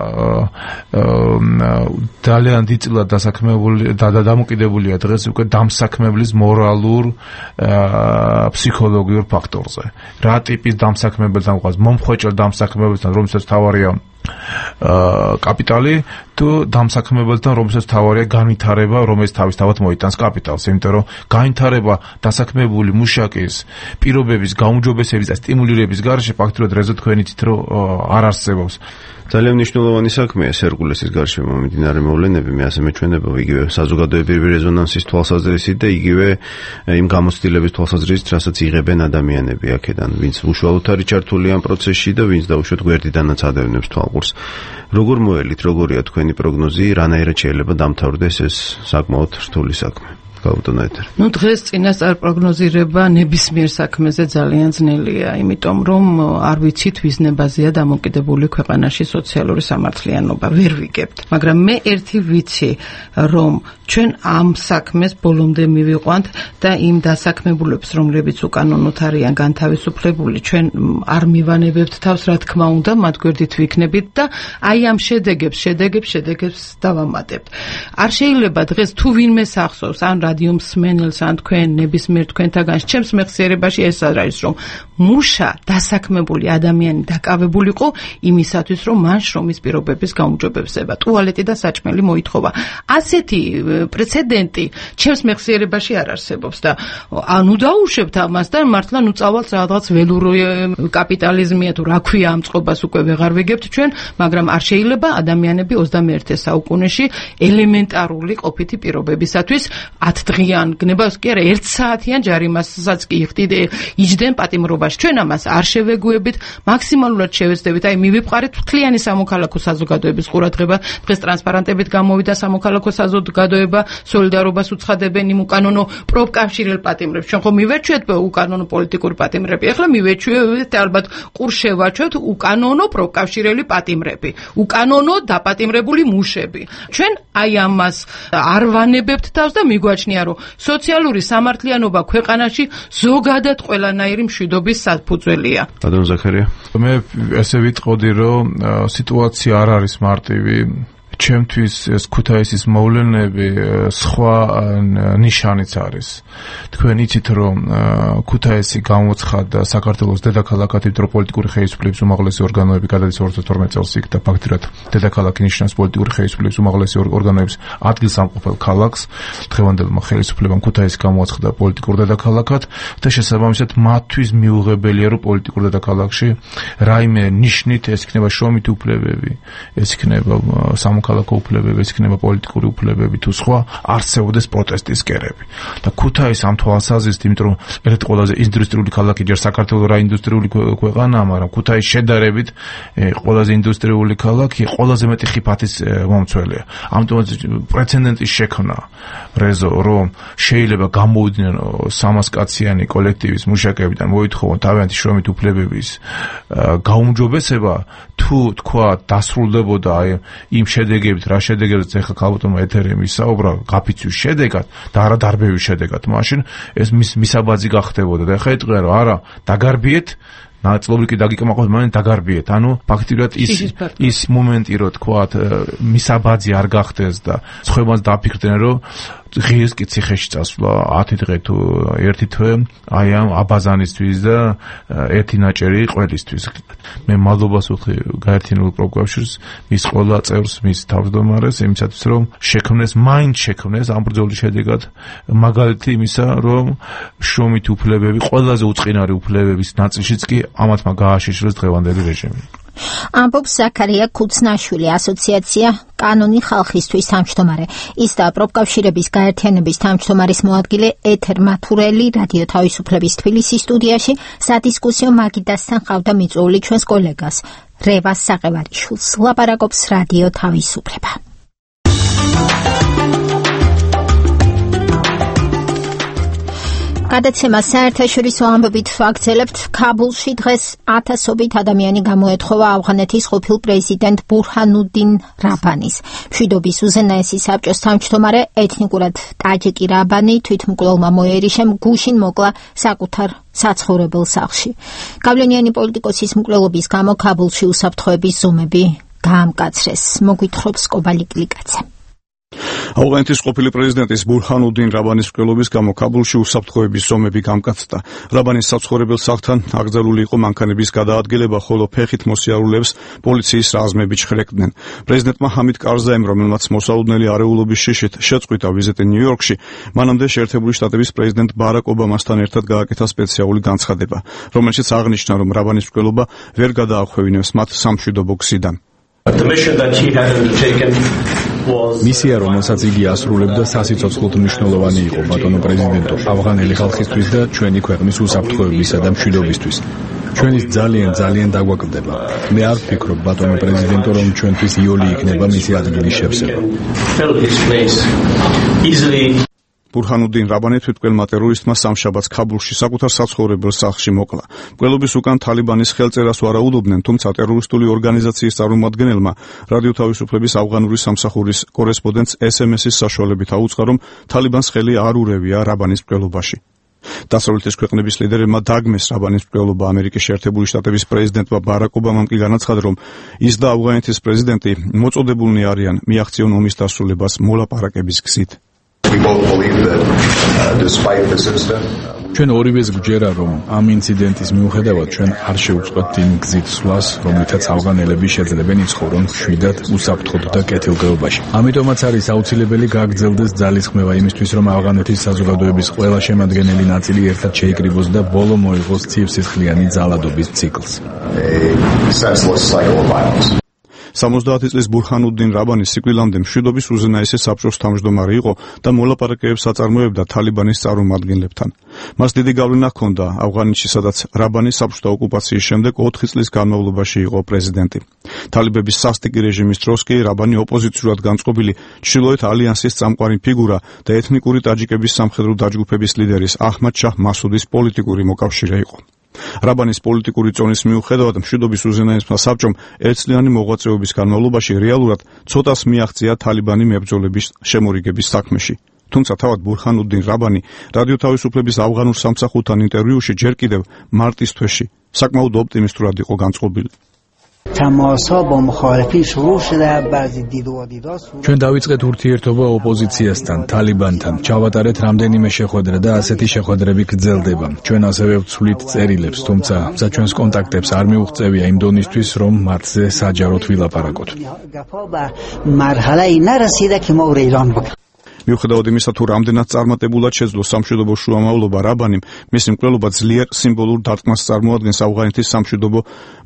ძალიან დიდწილად დასაქმებული და დამოკიდებულია დღეს უკვე დამსაქმებლის მორალურ ფსიქოლოგიურ ფაქტორზე. რა ტიპის დამსაქმებელთან გვყავს, მომხვეჭელ დამსაქმებელთან, რომელსაც თავარია კაპიტალი, თუ დამსაქმებელთან, რომელსაც თავარია განვითარება, რომელიც თავისთავად მოიტანს კაპიტალს, იმიტომ რომ განვითარება დასაქმებული მუშაკის პირობების გაუმჯობესების და სტიმულირების გარეშე ფაქტობრივად რეზო თქვენ იცით, რომ არ არსებობს. ძალიან მნიშვნელოვანი საქმეა ჰერკულესის გარშემო მიმდინარე მოვლენები, მე ასე მეჩვენება, იგივე საზოგადოებრივი რეზონანსის თვალსაზრისით და იგივე იმ გამოცდილების თვალსაზრისით, რასაც იღებენ ადამიანები აქედან, ვინც უშუალოდ არის ჩართული ამ პროცესში და ვინც დაუშვათ გვერდიდანაც ადევნებს თვალყურს. როგორ მოელით, როგორია თქვენი პროგნოზი, რანაირად შეიძლება დამთავრდეს ეს საკმაოდ რთული საქმე? დღეს წინასწარ პროგნოზირება ნებისმიერ საქმეზე ძალიან ძნელია, იმიტომ რომ არ ვიცით ვის ნებაზეა დამოკიდებული ქვეყანაში სოციალური სამართლიანობა, ვერ ვიგებთ. მაგრამ მე ერთი ვიცი, რომ ჩვენ ამ საქმეს ბოლომდე მივიყვანთ და იმ დასაქმებულებს, რომლებიც უკანონოდ არიან განთავისუფლებული, ჩვენ არ მივანებებთ თავს, რა თქმა უნდა, მათ გვერდით ვიქნებით და აი ამ შედეგებს დავამატებთ. არ შეიძლება დღეს თუ ვინმე სახსოვს, ან რადიო მსმენელს, ან თქვენ ნებისმიერ თქვენთაგან ჩემს მეხსიერებაში ეს არის, რომ მუშა დასაქმებული ადამიანი დაკავებულიყო იმისათვის, რომ მან შრომის პირობების გაუმჯობესება, ტუალეტი და საჭმელი მოითხოვა. ასეთი პრეცედენტი ჩემს მეხსიერებაში არ არსებობს და ანუ დაუშვებთ ამას და მართლა წავალთ რაღაც ველური კაპიტალიზმია თუ რა ქვია ამ წყობას უკვე ვეღარ ვიგებთ ჩვენ, მაგრამ არ შეიძლება ადამიანები 21 საუკუნეში ელემენტარული ყოფითი პირობებისათვის 10 დღიან გნებას კი არა 1 საათიან ჯარიმასაც კი იჯდნენ პატიმრობაში. ჩვენ ამას არ შევეგუებით, მაქსიმალურად შევეცდებით, აი მივიყვარეთ მთლიანი სამოქალაქო საზოგადოების ყურადღება. დღეს ტრანსპარანტებით გამოვიდა სამოქალაქო საზოგადოება, სოლიდარობას უცხადებენ იმ უკანონო პროფკავშირელ პატიმრებს. ჩვენ ხომ მივეჩვიეთ უკანონო პოლიტიკური პატიმრები, ახლა მივეჩვიეთ ალბათ ყურშევაჩვეთ უკანონო პროფკავშირელი პატიმრები, უკანონო დაპატიმრებული მუშები. ჩვენ აი ამას არ ვანებებთ თავს და მიგვაჩნია აღინიშნია, რომ სოციალური სამართლიანობა ქვეყანაში ზოგადად ყველანაირი მშვიდობის საფუძველია. ადრონ ზაქარია, მე ესე ვიტყოდი, რომ სიტუაცია არ არის მარტივი. ჩემთვის ეს ქუთაისის მოვლენები სხვა ნიშანიც არის. თქვენ იცით, რომ ქუთაისი გამოცხადდა საქართველოს დედაქალაქად, იმიტომ რომ პოლიტიკური ხელისუფლების უმაღლესი ორგანოები გადადის 2012 წელს იქ და ფაქტიურად დედაქალაქი ნიშნავს პოლიტიკური ხელისუფლების უმაღლესი ორგანოების ადგილსამყოფელ ქალაქს. დღევანდელმა ხელისუფლებამ ქუთაისი გამოაცხადა პოლიტიკურ დედაქალაქად და შესაბამისად მათთვის მიუღებელია, რომ პოლიტიკურ დედაქალაქში რაიმე ნიშნით ეს იქნება შრომით უფლებები, ეს იქნება ქალაქო უფლებები, ეს იქნება პოლიტიკური უფლებები თუ სხვა, არსებობდეს პროტესტის კერები. და ქუთაისი ამ თვალსაზრისით, იმიტომ რომ ერთ ყველაზე ინდუსტრიული ქალაქი ჯერ საქართველოს რა ინდუსტრიული ქვეყანაა, მაგრამ ქუთაისი შედარებით ყველაზე ინდუსტრიული ქალაქი, ყველაზე მეტი ხიფათის მომცველია. ამიტომ პრეცედენტის შექმნა რეზო, რომ შეიძლება გამოვიდნენ 300 კაციანი კოლექტივის მუშაკებიდან მოითხოვონ თავიანთი შრომით უფლებების გაუმჯობესება, თუ თქვა დასრულდებოდა იმ შედეგებით, რა შედეგებიც ეხლა ქალბატონმა ეთერი მისაუბრა გაფიცვის შედეგად და არა დარბევის შედეგად, მაშინ ეს მისაბაძი გახდებოდა და ეხლა იტყვიან, რომ არა, დაგარბიეთ ნაწილობრივ კი დაგიკმაყოფილეთ, მაგრამ დაგარბიეთ. ანუ ფაქტიურად ის მომენტი, რომ თქვათ, მისაბაძი არ გახდეს და სხვებაც დაფიქრდნენ, რომ ღირს კი ციხეში წასვლა 10 დღე თუ 1 თვე აი ამ აბაზანისთვის და 1 ნაჭერი ყველისთვის. მე მადლობას ვუხდი გაერთიანებულ პროფკავშირს, მის ყველა წევრს, მის თავმჯდომარეს იმისათვის, რომ მაინც შექმნეს ამ ბრძოლის შედეგად მაგალითი იმისა, რომ შრომით უფლებები, ყველაზე უწყინარი უფლებების ნაწილშიც კი ამათმა გააშიშრეს დღევანდელი რეჟიმი. ამბობს ზაქარია ქუცნაშვილი, ასოციაცია კანონი ხალხისთვის თავმჯდომარე. ის და პროფკავშირების გაერთიანების თავმჯდომარის მოადგილე ეთერ მათურელი რადიო თავისუფლების თბილისის სტუდიაში სადისკუსიო მაგიდასთან ყავდა მიწვეული ჩვენს კოლეგას რევას საყევარიშვილს. ლაპარაკობს რადიო თავისუფლება. გადაცემა საერთაშორისო ამბებით ვაგრძელებთ. ქაბულში დღეს 1000-ობით ადამიანი გამოეთხოვა ავღანეთის ყოფილ პრეზიდენტ ბურჰანუდინ რაბანის. მშვიდობის უზენაესი საბჭოს თავმჯდომარე, ეთნიკურად ტაჯიკი რაბანი თვითმკვლელმა მოერიშემ გუშინ მოკლა საკუთარ საცხოვრებელ სახლში. გავლენიანი პოლიტიკოსის მკვლელობის გამო ქაბულში უსაფრთხოების ზომები გაამკაცრეს. მოგვითხრობს კობალიკლიკაცე. ავღანეთის ყოფილი პრეზიდენტის ბურჰანუდინ რაბანის მკვლელობის გამო ქაბულში უსაფრთხოების ზომები გამკაცდა. რაბანის საცხოვრებელ სახლთან აკრძალული იყო მანქანების გადაადგილება, ხოლო ფეხით მოსიარულეებს პოლიციის რაზმები ჩხრეკდნენ. პრეზიდენტმა ჰამიდ კარზაიმ, რომელმაც მოსალოდნელი არეულობის შიშით შეწყვიტა ვიზიტი ნიუ-იორკში, მანამდე შეერთებული შტატების პრეზიდენტ ბარაკ ობამასთან ერთად გააკეთა სპეციალური განცხადება, რომელშიც აღნიშნა, რომ რაბანის მკვლელობა ვერ გადაახვევინებს მათ სამშვიდობო გზიდან. მისია, რომელსაც იგი ასრულებდა, სასიცოცხლოდ მნიშვნელოვანი იყო, ბატონო პრეზიდენტო, ავღანელი ხალხისთვის და ჩვენი ქვეყნის უსაფრთხოებისა და მშვიდობისთვის. ჩვენის ძალიან დაგვაკლდება. მე არ ვფიქრობ, ბატონო პრეზიდენტო, რომ ჩვენთვის იოლი იქნება მისი ადგილის შევსება. ბურჰანუდინ რაბანი თვითმკვლელმა ტერორისტმა სამშაბათს ქაბულში საკუთარ საცხოვრებელ სახლში მოკლა. მკვლელობის უკან თალიბანის ხელწერას ვარაუდობდნენ, თუმცა ტერორისტული ორგანიზაციის წარმომადგენელმა რადიო თავისუფლების ავღანური სამსახურის კორესპონდენტს SMS-ის საშუალებით აუწყა, რომ თალიბანს ხელი არ ურევია რაბანის მკვლელობაში. დასავლეთის ქვეყნების ლიდერებმა დაგმეს რაბანის მკვლელობა. ამერიკის შეერთებული შტატების პრეზიდენტმა ბარაკ ობამამ კი განაცხადა, რომ ის და ავღანეთის პრეზიდენტი მოწოდებულნი არიან მიაღწიონ ომის დასრულებას მოლაპარაკების გზით. ჩვენ ორივეს გვჯერა, რომ ამ ინციდენტის მიუხედავად ჩვენ არ შევწყვეტთ იმ გზით სვლას, რომლითაც ავღანელები შეძლებენ იცხოვრონ მშვიდად, უსაფრთხოდ და კეთილდღეობაში. ამიტომაც არის აუცილებელი გააგრძელდეს ძალისხმევა იმისთვის, რომ ავღანეთის საზოგადოების ყველა შემადგენელი ნაწილი ერთად შეიკრიბოს და ბოლო მოიღოს ცივსისხლიანი ძალადობის ციკლს. 70 წლის ბურჰანუდინ რაბანი სიკვდილამდე მშვიდობის უზენაესი საბჭოს თავმჯდომარე იყო და მოლაპარაკებებს აწარმოებდა თალიბანის წარმომადგენლებთან. მას დიდი გავლენა ჰქონდა ავღანეთში, სადაც რაბანი საბჭოთა ოკუპაციის შემდეგ 4 წლის განმავლობაში იყო პრეზიდენტი. თალიბების სასტიკი რეჟიმის დროს კი რაბანი ოპოზიციურად განწყობილი ჩრდილოეთ ალიანსის წამყვანი ფიგურა და ეთნიკური ტაჯიკების სამხედრო დაჯგუფების ლიდერის აჰმად შაჰ მასუდის პოლიტიკური მოკავშირე იყო. რაბანის პოლიტიკური წონის მიუხედავად მშვიდობის უზენაესმა საბჭომ ერთწლიანი მოღვაწეობის განმავლობაში რეალურად ცოტას მიაღწია თალიბანი მებრძოლების შემორიგების საქმეში. თუმცა თავად ბურჰანუდინ რაბანი რადიო თავისუფლების ავღანურ სამსახურთან ინტერვიუში ჯერ კიდევ მარტის თვეში საკმაოდ ოპტიმისტურად იყო განწყობილი. ჩვენ დავიწყეთ ურთიერთობა ოპოზიციასთან, თალიბანთან, ჩავატარეთ რამდენიმე შეხვედრა და ასეთი შეხვედრები გრძელდება. ჩვენ ასევე ვცვლით წერილებს, თუმცა საჩვენს კონტაქტებს არ მიუღწევია იმ დონისთვის, რომ მართზე საჯაროდ ვილაპარაკოთ. მიუხედავად იმისა, თუ რამდენად წარმატებულად შეძლო სამშვიდობო შუამავლობა რაბანიმ, მისი მკვლელობა ძლიერ სიმბოლურ დარტყმას წარმოადგენს ავღანეთის სამშვიდობო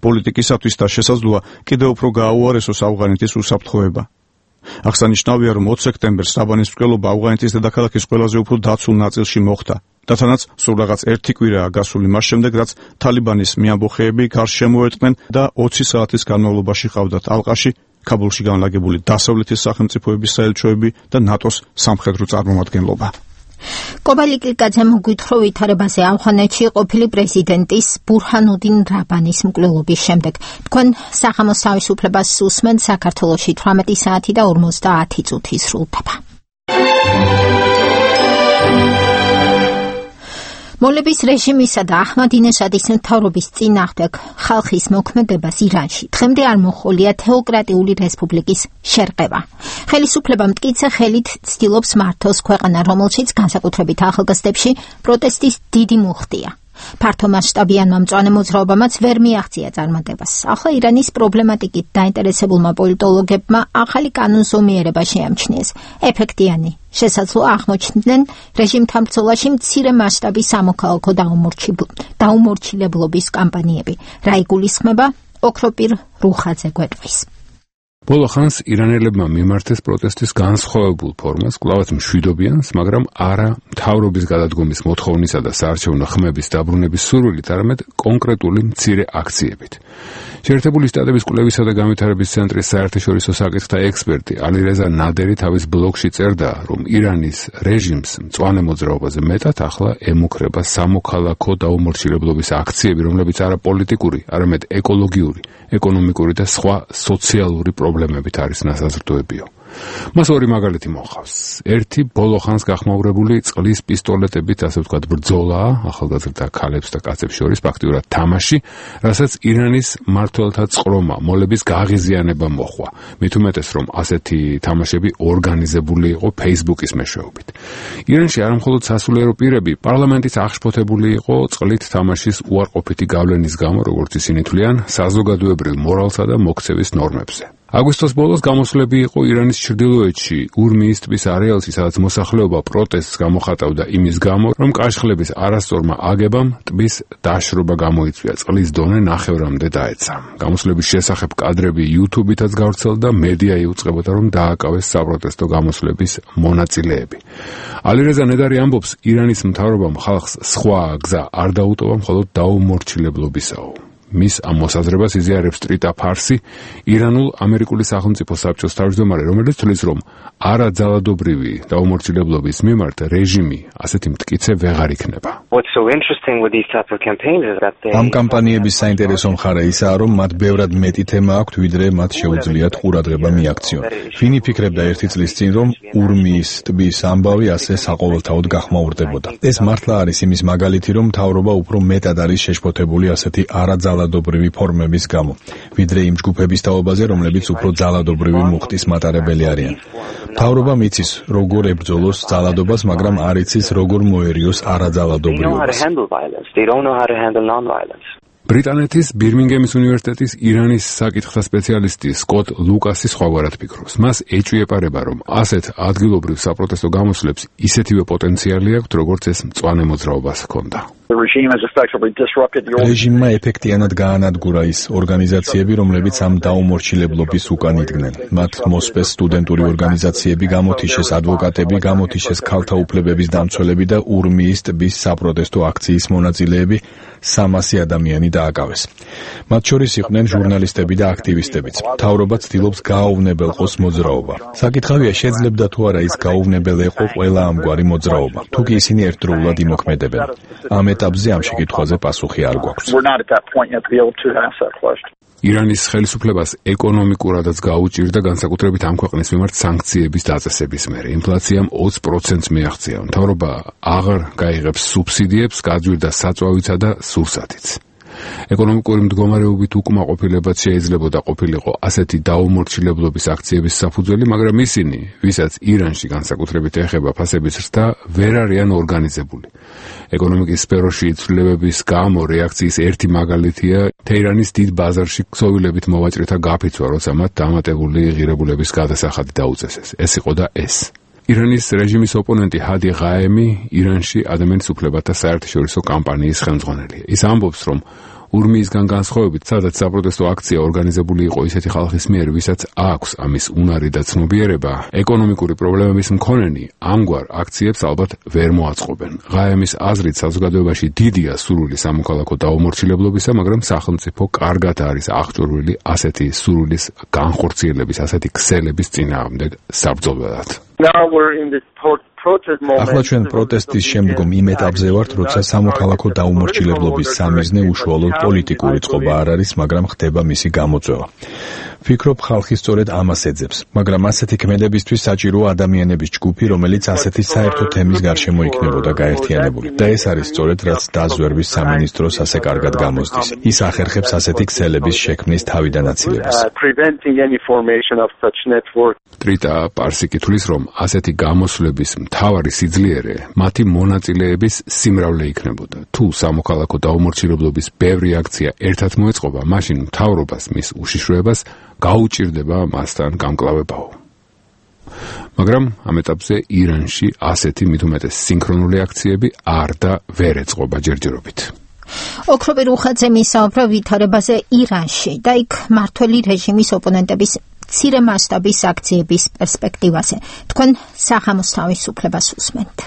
პოლიტიკისათვის და შესაძლოა კიდევ უფრო გააუარესოს ავღანეთის უსაფრთხოება. აღსანიშნავია, რომ 20 სექტემბერს რაბანის მკვლელობა ავღანეთის დედაქალაქის ყველაზე უფრო დაცულ ნაწილში მოხდა. და თანაც სულ რაღაც 1 კვირაა გასული მას შემდეგ, რაც თალიბანის მიამბოხეები გარს შემოერტყნენ და 20 საათის განმავლობაში ყავდათ ალყაში ქაბულში განლაგებული დასავლეთის სახელმწიფოების საელჩოები და ნატოს სამხედრო წარმომადგენლობა. კობალიკილკაძემ უგვითრო ვითარებაზე ავღანეთში ყოფილი პრეზიდენტის ბურჰანუდინ რაბანის მკვლელობის შემდეგ. თქვენ სახამოს თავისუფლებას უსმენთ, საქართველოში 18 საათი და 50 წუთი სრულდება. მოლების რეჟიმისა და აჰმადინეჟადის მთავრობის წინააღმდეგ ხალხის მოქმედებას ირანში დღემდე არ მოჰყოლია თეოკრატიული რესპუბლიკის შერყევა. ხელისუფლება მტკიცე ხელით ცდილობს მართოს ქვეყანა, რომელშიც განსაკუთრებით ახალგაზრდებში პროტესტის დიდი მუხტია. ფართომასშტაბიანმა მწვანე მოძრაობამაც ვერ მიაღწია წარმატებას. ახლა ირანის პრობლემატიკით დაინტერესებულმა პოლიტოლოგებმა ახალი კანონზომიერება შეამჩნიეს. ეფექტიანი შესაძლოა აღმოჩნდნენ რეჟიმთან ბრძოლაში მცირე მასშტაბის სამოქალაქო დაუმორჩილებლობის კამპანიები. რა იგულისხმება? ოქროპირ რუხაძე გვეტყვის. ბოლო ხანს ირანელებმა მიმართეს პროტესტის განსხვავებულ ფორმას, კვლავაც მშვიდობიანს, მაგრამ არა მთავრობის გადადგომის მოთხოვნისა და საარჩევნო ხმების დაბრუნების სურვილით, არამედ კონკრეტული მცირე აქციებით. შეერთებული შტატების კვლევისა და განვითარების ცენტრის საერთაშორისო საკითხთა ექსპერტი ალირეზა ნადერი თავის ბლოგში წერდა, რომ ირანის რეჟიმს მწვანე მოძრაობაზე მეტად ახლა ემუქრება სამოქალაქო დაუმორჩილებლობის აქციები, რომლებიც არა პოლიტიკური, არამედ ეკოლოგიური, ეკონომიკური და სხვა სოციალური პრობლემებით არის ნასაზრდოებიო. მას ორი მაგალითი მოხავს. ერთი ბოლო ხანს გახმაურებული წყლის პისტოლეტებით, ასე ვთქვათ, ბრძოლაა ახალგაზრდა ქალებს და კაცებს შორის, ფაქტიურად თამაში, რასაც ირანის მმართველთა წყრომა, მოლების გაღიზიანება მოჰყვა. მით უმეტეს, რომ ასეთი თამაშები ორგანიზებული იყო Facebook-ის მეშვეობით. ირანში არამხოლოდ სასულიერო პირები, პარლამენტის აღშფოთებული იყო წყლით თამაშის უარყოფითი გავლენის გამო, როგორც ისინი თვლიან, საზოგადოებრივ მორალსა და მოქცევის ნორმებზე. აგვისტოს ბოლოს გამოსვლები იყო ირანის ჩრდილოეთში, ურმიის ტბის არეალში, სადაც მოსახლეობა პროტესტს გამოხატავდა იმის გამო, რომ კაშხლების არასწორმა აგებამ ტბის დაშრობა გამოიწვია, წყლის დონე ნახევრამდე დაეცა. გამოსვლების შესახებ კადრები YouTube-ითაც გავრცელდა, მედია იუწყებოდა, რომ დააკავეს საპროტესტო გამოსვლების მონაწილეები. ალირეზა ნედარი ამბობს, ირანის მთავრობამ ხალხს სხვა გზა არ დაუტოვა, მხოლოდ დაუმორჩილებლობისაო. მის ამ მოსაზრებას იზიარებს ტრიტა ფარსი, ირანულ ამერიკული სახელმწიფო საბჭოს თავმჯდომარე, რომელიც თვლის, რომ არაძალადობრივი დაუმორჩილებლობის მიმართ რეჟიმი ასეთი მტკიცე ვეღარ იქნება. ამ კამპანიების საინტერესო მხარე ისაა, რომ მათ ბევრად მეტი თემა აქვთ, ვიდრე მათ შეუძლიათ ყურადღება მიაქციონ. ვინ იფიქრებდა ერთი წლის წინ, რომ ურმიის ტბის ამბავი ასე საყოველთაოდ გახმაურდებოდა. ეს მართლა არის იმის მაგალითი, რომ მთავრობა უფრო მეტად არის შეშფოთებული ასეთი არაძალადობრივი ფორმების გამო, ვიდრე იმ ჯგუფების თაობაზე, რომლებიც უფრო ძალადობრივი მუხტის მატარებელი არიან. მთავრობა მიცის, როგორ ებრძოლოს ძალადობას, მაგრამ არ იცის, როგორ მოერიოს არაძალადობრიობას. ბრიტანეთის ბირმინგემის უნივერსიტეტის ირანის საკითხთა სპეციალისტი სკოტ ლუკასი სხვაგვარად ფიქრობს. მას ეჭვიეპარება, რომ ასეთ ადგილობრივ საპროტესტო გამოსვლებს ისეთივე პოტენციალი აქვს, როგორც ეს მწვანე მოძრაობას ჰქონდა. რეჟიმმა ეფექტიანად გაანადგურა ის ორგანიზაციები, რომლებიც ამ დაუმორჩილებლობის უკან იდგნენ. მათ მოსპეს სტუდენტური ორგანიზაციები, გამოთიშეს ადვოკატები, გამოთიშეს ქალთა უფლებების დამცველები და ურმიის ტბის საპროტესტო აქციის მონაწილეები, 300 ადამიანი დააკავეს. მათ შორის იყვნენ ჟურნალისტები და აქტივისტებიც. მთავრობა ცდილობს გააუვნებელყოს მოძრაობა. საკითხავია, შეძლებდა თუ არა ის გაუვნებელეყო ყველა ამგვარი მოძრაობა, თუ კი ისინი ერთდროულად იმოქმედებენ. ამ ეტაპზე ამ შეკითხვაზე პასუხი არ გვაქვს. ირანის ხელისუფლებას ეკონომიკურადაც გაუჭირდა განსაკუთრებით ამ ქვეყნის მიმართ სანქციების დაწესების მერე. ინფლაციამ 20%-ს მიაღწია. მთავრობა აღარ გაიღებს სუბსიდიებს, გაძვირდა საწვავისა და სურსათიც. ეკონომიკური მდგომარეობით უკმაყოფილებაც შეიძლებოდა ყოფილიყო ასეთი დაუმორჩილებლობის აქციების საფუძველი, მაგრამ ისინი, ვისაც ირანში განსაკუთრებით ეხება ფასების ზრდა, ვერ არიან ორგანიზებული. ეკონომიკის სფეროში ცვლილებების გამო რეაქციის ერთი მაგალითია თეირანის დიდ ბაზარში ქსოვილებით მოვაჭრეთა გაფიცვა, როცა მათ დამატებული ღირებულების გადასახადი დაუწესეს. ეს იყო და ეს. ირანის რეჟიმის ოპონენტი ჰადი ღაემი ირანში ადამიანის უფლებათა საერთაშორისო კამპანიის ხელმძღვანელია. ის ამბობს, რომ ურმიისგან განსხვავებით, სადაც საპროტესტო აქცია ორგანიზებული იყო ისეთი ხალხის მიერ, ვისაც აქვს ამის უნარი და ცნობიერება, ეკონომიკური პრობლემების მქონენი ამგვარ აქციებს ალბათ ვერ მოაწყობენ. ღაემის აზრით, საზოგადოებაში დიდია სურვილი სამოქალაქო დაუმორჩილებლობისა, მაგრამ სახელმწიფო კარგად არის აღჭურვილი ასეთი სურვილის განხორციელების, ასეთი ქსელების წინააღმდეგ საბრძოლველად. ახლა ჩვენ პროტესტის შემდგომ იმ ეტაპზე ვართ, როცა სამოქალაქო დაუმორჩილებლობის სამიზნე უშუალოდ პოლიტიკური წყობა არ არის, მაგრამ ხდება მისი გამოწვევა. ვფიქრობ, ხალხი სწორედ ამას ეძებს, მაგრამ ასეთი ქმედებისთვის საჭიროა ადამიანების ჯგუფი, რომელიც ასეთი საერთო თემის გარშემო იქნებოდა გაერთიანებული. და ეს არის სწორედ რაც დაზვერვის სამინისტროს ასე კარგად გამოსდის. ის ახერხებს ასეთი ქსელების შექმნის თავიდან აცილებას. ტრიტა პარსიკი თვლის, რომ ასეთი გამოსვლების მთავარი სიძლიერე მათი მონაწილეების სიმრავლე იქნებოდა. თუ სამოქალაქო დაუმორჩილებლობის ბევრი აქცია ერთად მოეწყობა, მაშინ მთავრობას მის უშიშროებას გაუჭირდება მასთან გამკლავებაო. მაგრამ ამ ეტაპზე ირანში ასეთი მით უმეტეს სინქრონული აქციები არ და ვერ ეწყობა ჯერჯერობით. ოქროპი რუხაძე მისაუბრა ვითარებაზე ირანში და იქ მართველი რეჟიმის ოპონენტების მცირე მასშტაბის აქციების პერსპექტივაზე. თქვენ სახამოს თავისუფლებას უსმენთ.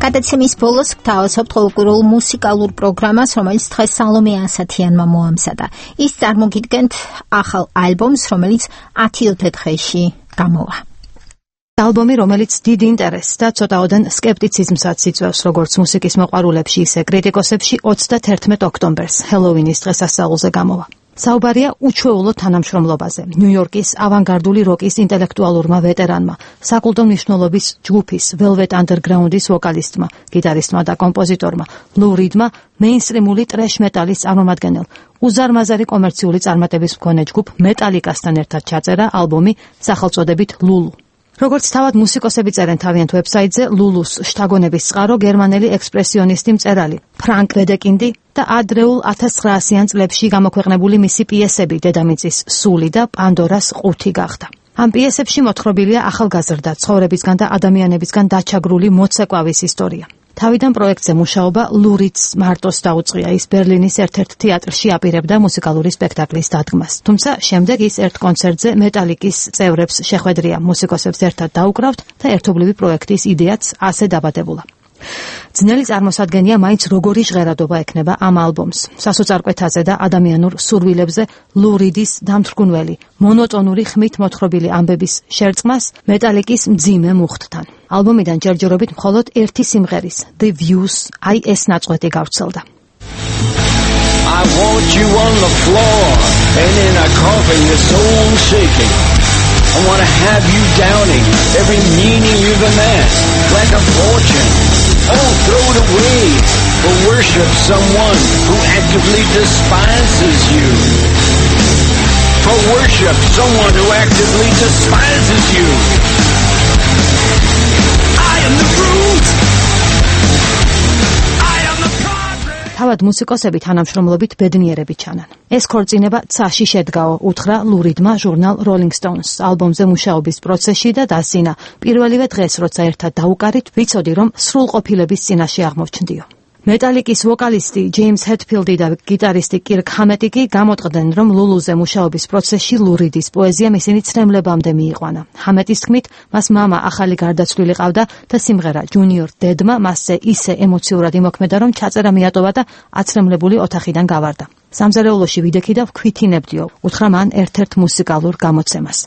გადაცემის ბოლოს გთავაზობთ ყოველკვირეულ მუსიკალურ პროგრამას, რომელიც დღეს სალომე ასათიანმა მოამზადა. ის წარმოგიდგენთ ახალ ალბომს, რომელიც 10 დღეში გამოვა. ალბომი, რომელიც დიდ ინტერესს და ცოტაოდენ სკეპტიციზმსაც იწვევს როგორც მუსიკის მოყვარულებში, ისე კრიტიკოსებში 21 ოქტომბერს, ჰელოვინის დღესასწაულზე გამოვა. საუბარია უჩვეულო თანამშრომლობაზე ნიუ-იორკის ავანგარდული როკის ინტელექტუალურმა ვეტერანმა, საკულტო მნიშვნელობის ჯგუფის Velvet Underground-ის ვოკალისტმა, გიტარისტმა და კომპოზიტორმა ლუ რიდმა, მეინსტრიმული ტრეშ მეტალის წარმომადგენელ, უზარმაზარი კომერციული წარმატების მქონე ჯგუფ მეტალიკასთან ერთად ჩაწერა ალბომი სახელწოდებით ლულუ. როგორც თავად მუსიკოსები წერენ თავიანთ ვებსაიტზე, ლულუს შთაგონების წყარო გერმანელი ექსპრესიონისტი მწერალი ფრანკ ვედეკინდი და ადრეულ 1900-იან წლებში გამოქვეყნებული მისი პიესები დედამიწის სული და პანდორას ყუთი გახდა. ამ პიესებში მოთხრობილია ახალგაზრდა ცხოვრებისგან და ადამიანებისგან დაჩაგრული მოცეკვავის ისტორია. თავიდან პროექტზე მუშაობა ლურიც მარტოს დაუწყია. ის ბერლინის ერთ-ერთ თეატრში აპირებდა მუსიკალური სპექტაკლის დადგმას. თუმცა შემდეგ ის ერთ კონცერტზე მეტალიკის წევრებს შეხვედრია მუსიკოსებს ერთად დაუკრავთ და ერთობლივი პროექტის იდეაც ასე დაბადებულა. ძნელი წარმოსადგენია მაინც როგორი ჟღერადობა ექნება ამ ალბომს. სასოწარკვეთაზე და ადამიანურ სურვილებზე ლურიდის დამთრგუნველი, მონოტონური ხმით მოთხრობილი ამბების შერწყმას მეტალიკის მძიმე მუხტთან. ალბომიდან ჯერჯერობით მხოლოდ ერთი სიმღერის The Views აი ეს ნაწყვეტი გავრცელდა. I want you on the floor and in a coffin your soul shaking. I want to have you downing every meaning you've amassed like a fortune. Oh, throw it away or worship someone who actively despises you. For worship someone who actively despises you. I am the root. თავად მუსიკოსები თანამშრომლობით ბედნიერები ჩანან. ეს ქორწინება ცაში შედგაო, უთხრა ლურიდმა ჟურნალ Rolling Stones. ალბომზე მუშაობის პროცესში და დასინა. პირველივე დღეს, როცა ერთად დაუკარით, ვიცოდი, რომ სრულყოფილების წინაშე აღმოჩნდიო. მეტალიკის ვოკალისტი ჯეიმს ჰეტფილდი და გიტარისტი კირკ ჰამეტი კი გამოტყდნენ, რომ ლულუზე მუშაობის პროცესში ლურიდის პოეზიამ ისინი ცრემლებამდე მიიყვანა. ჰამეტის თქმით, მას მამა ახალი გარდაცვლილი ყავდა და სიმღერა ჯუნიორ დედმა მასზე ისე ემოციურად იმოქმედა, რომ ჩაწერა მიატოვა და აცრემლებული ოთახიდან გავარდა. სამზარეულოში ვიდექი და ვქვითინებდიო, უთხრა მან ერთ-ერთ მუსიკალურ გამოცემას.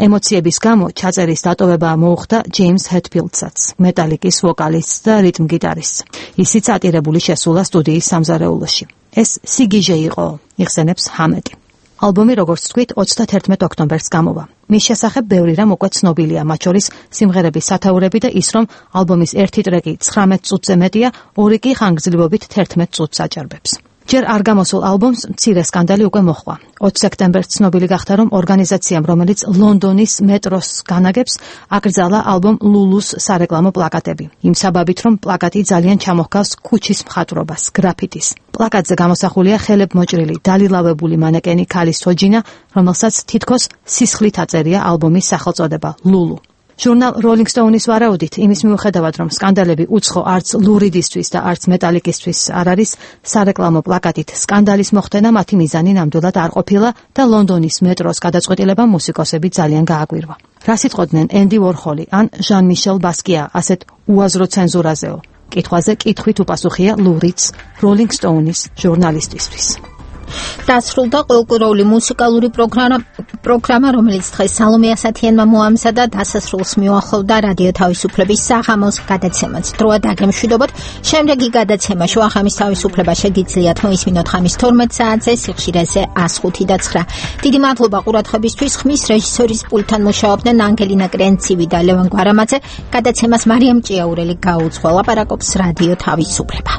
ემოციების გამო ჩაწერის დატოვება მოუხდა ჯეიმს ჰეტფილდსაც, მეტალიკის ვოკალისტს და რიტმ გიტარისტს. ისიც ატირებული შესულა სტუდიის სამზარეულოში. ეს სიგიჟე იყო, იხსენებს ჰამეტი. ალბომი, როგორც თქვით, 31 ოქტომბერს გამოვა. მის შესახებ ბევრი რამ უკვე ცნობილია, მათ შორის სიმღერების სათაურები და ის, რომ ალბომის ერთი ტრეკი 19 წუთზე მეტია, ორი კი ხანგრძლივობით 11 წუთს აჭარბებს. ჯერ არ გამოსულ ალბომს მცირე სკანდალი უკვე მოჰყვა. 20 სექტემბერს ცნობილი გახდა, რომ ორგანიზაციამ, რომელიც ლონდონის მეტროს განაგებს, აკრძალა ალბომ ლულუს სარეკლამო პლაკატები. იმ საბაბით, რომ პლაკატი ძალიან ჩამოჰგავს ქუჩის მხატვრობას, გრაფიტის. პლაკატზე გამოსახულია ხელებმოჭრილი, დალილავებული მანეკენი ქალის თოჯინა, რომელსაც თითქოს სისხლით აწერია ალბომის სახელწოდება ლულუ. ჟურნალ Rolling Stone-ის ვარაუდით, იმის მიუხედავად, რომ სკანდალები უცხო არც ლურიდისთვის და არც მეტალიკისთვის არ არის, სარეკლამო პლაკატით სკანდალის მოხდენა მათი მიზანი ნამდვილად არ ყოფილა და ლონდონის მეტროს გადაწყვეტილებამ მუსიკოსები ძალიან გააგვირვა. რა სიტყვოდნენ ენდი ვორჰოლი ან ჟან-მიშელ ბასკია ასეთ უაზრო ცენზურაზეო? კითხვაზე კითხვით უპასუხია ლურიც Rolling Stone-ის ჟურნალისტისთვის. დასრულდა ყოლკუროული მუსიკალური პროგრამა, რომელიც დღეს სალომე ასათიანმა მოამზადა, დასასრულს მიუახლოვდა რადიო თავისუფლების საღამოს გადაცემაც. დროა დაგემშვიდობოთ. შემდეგი გადაცემა შუახამის თავისუფლება შეგიძლიათ მოისმინოთ ხამის 12 საათზე, სიხშირეზე 105.9. დიდი მადლობა ყურადღებისთვის. ხმის რეჟისორის პულტთან მუშაობდნენ ანგელინა კრენცივი და ლევან გვარამაძე. გადაცემას მარიამ ჭიაურელი გაუძღვა. ლაპარაკობს რადიო თავისუფლება.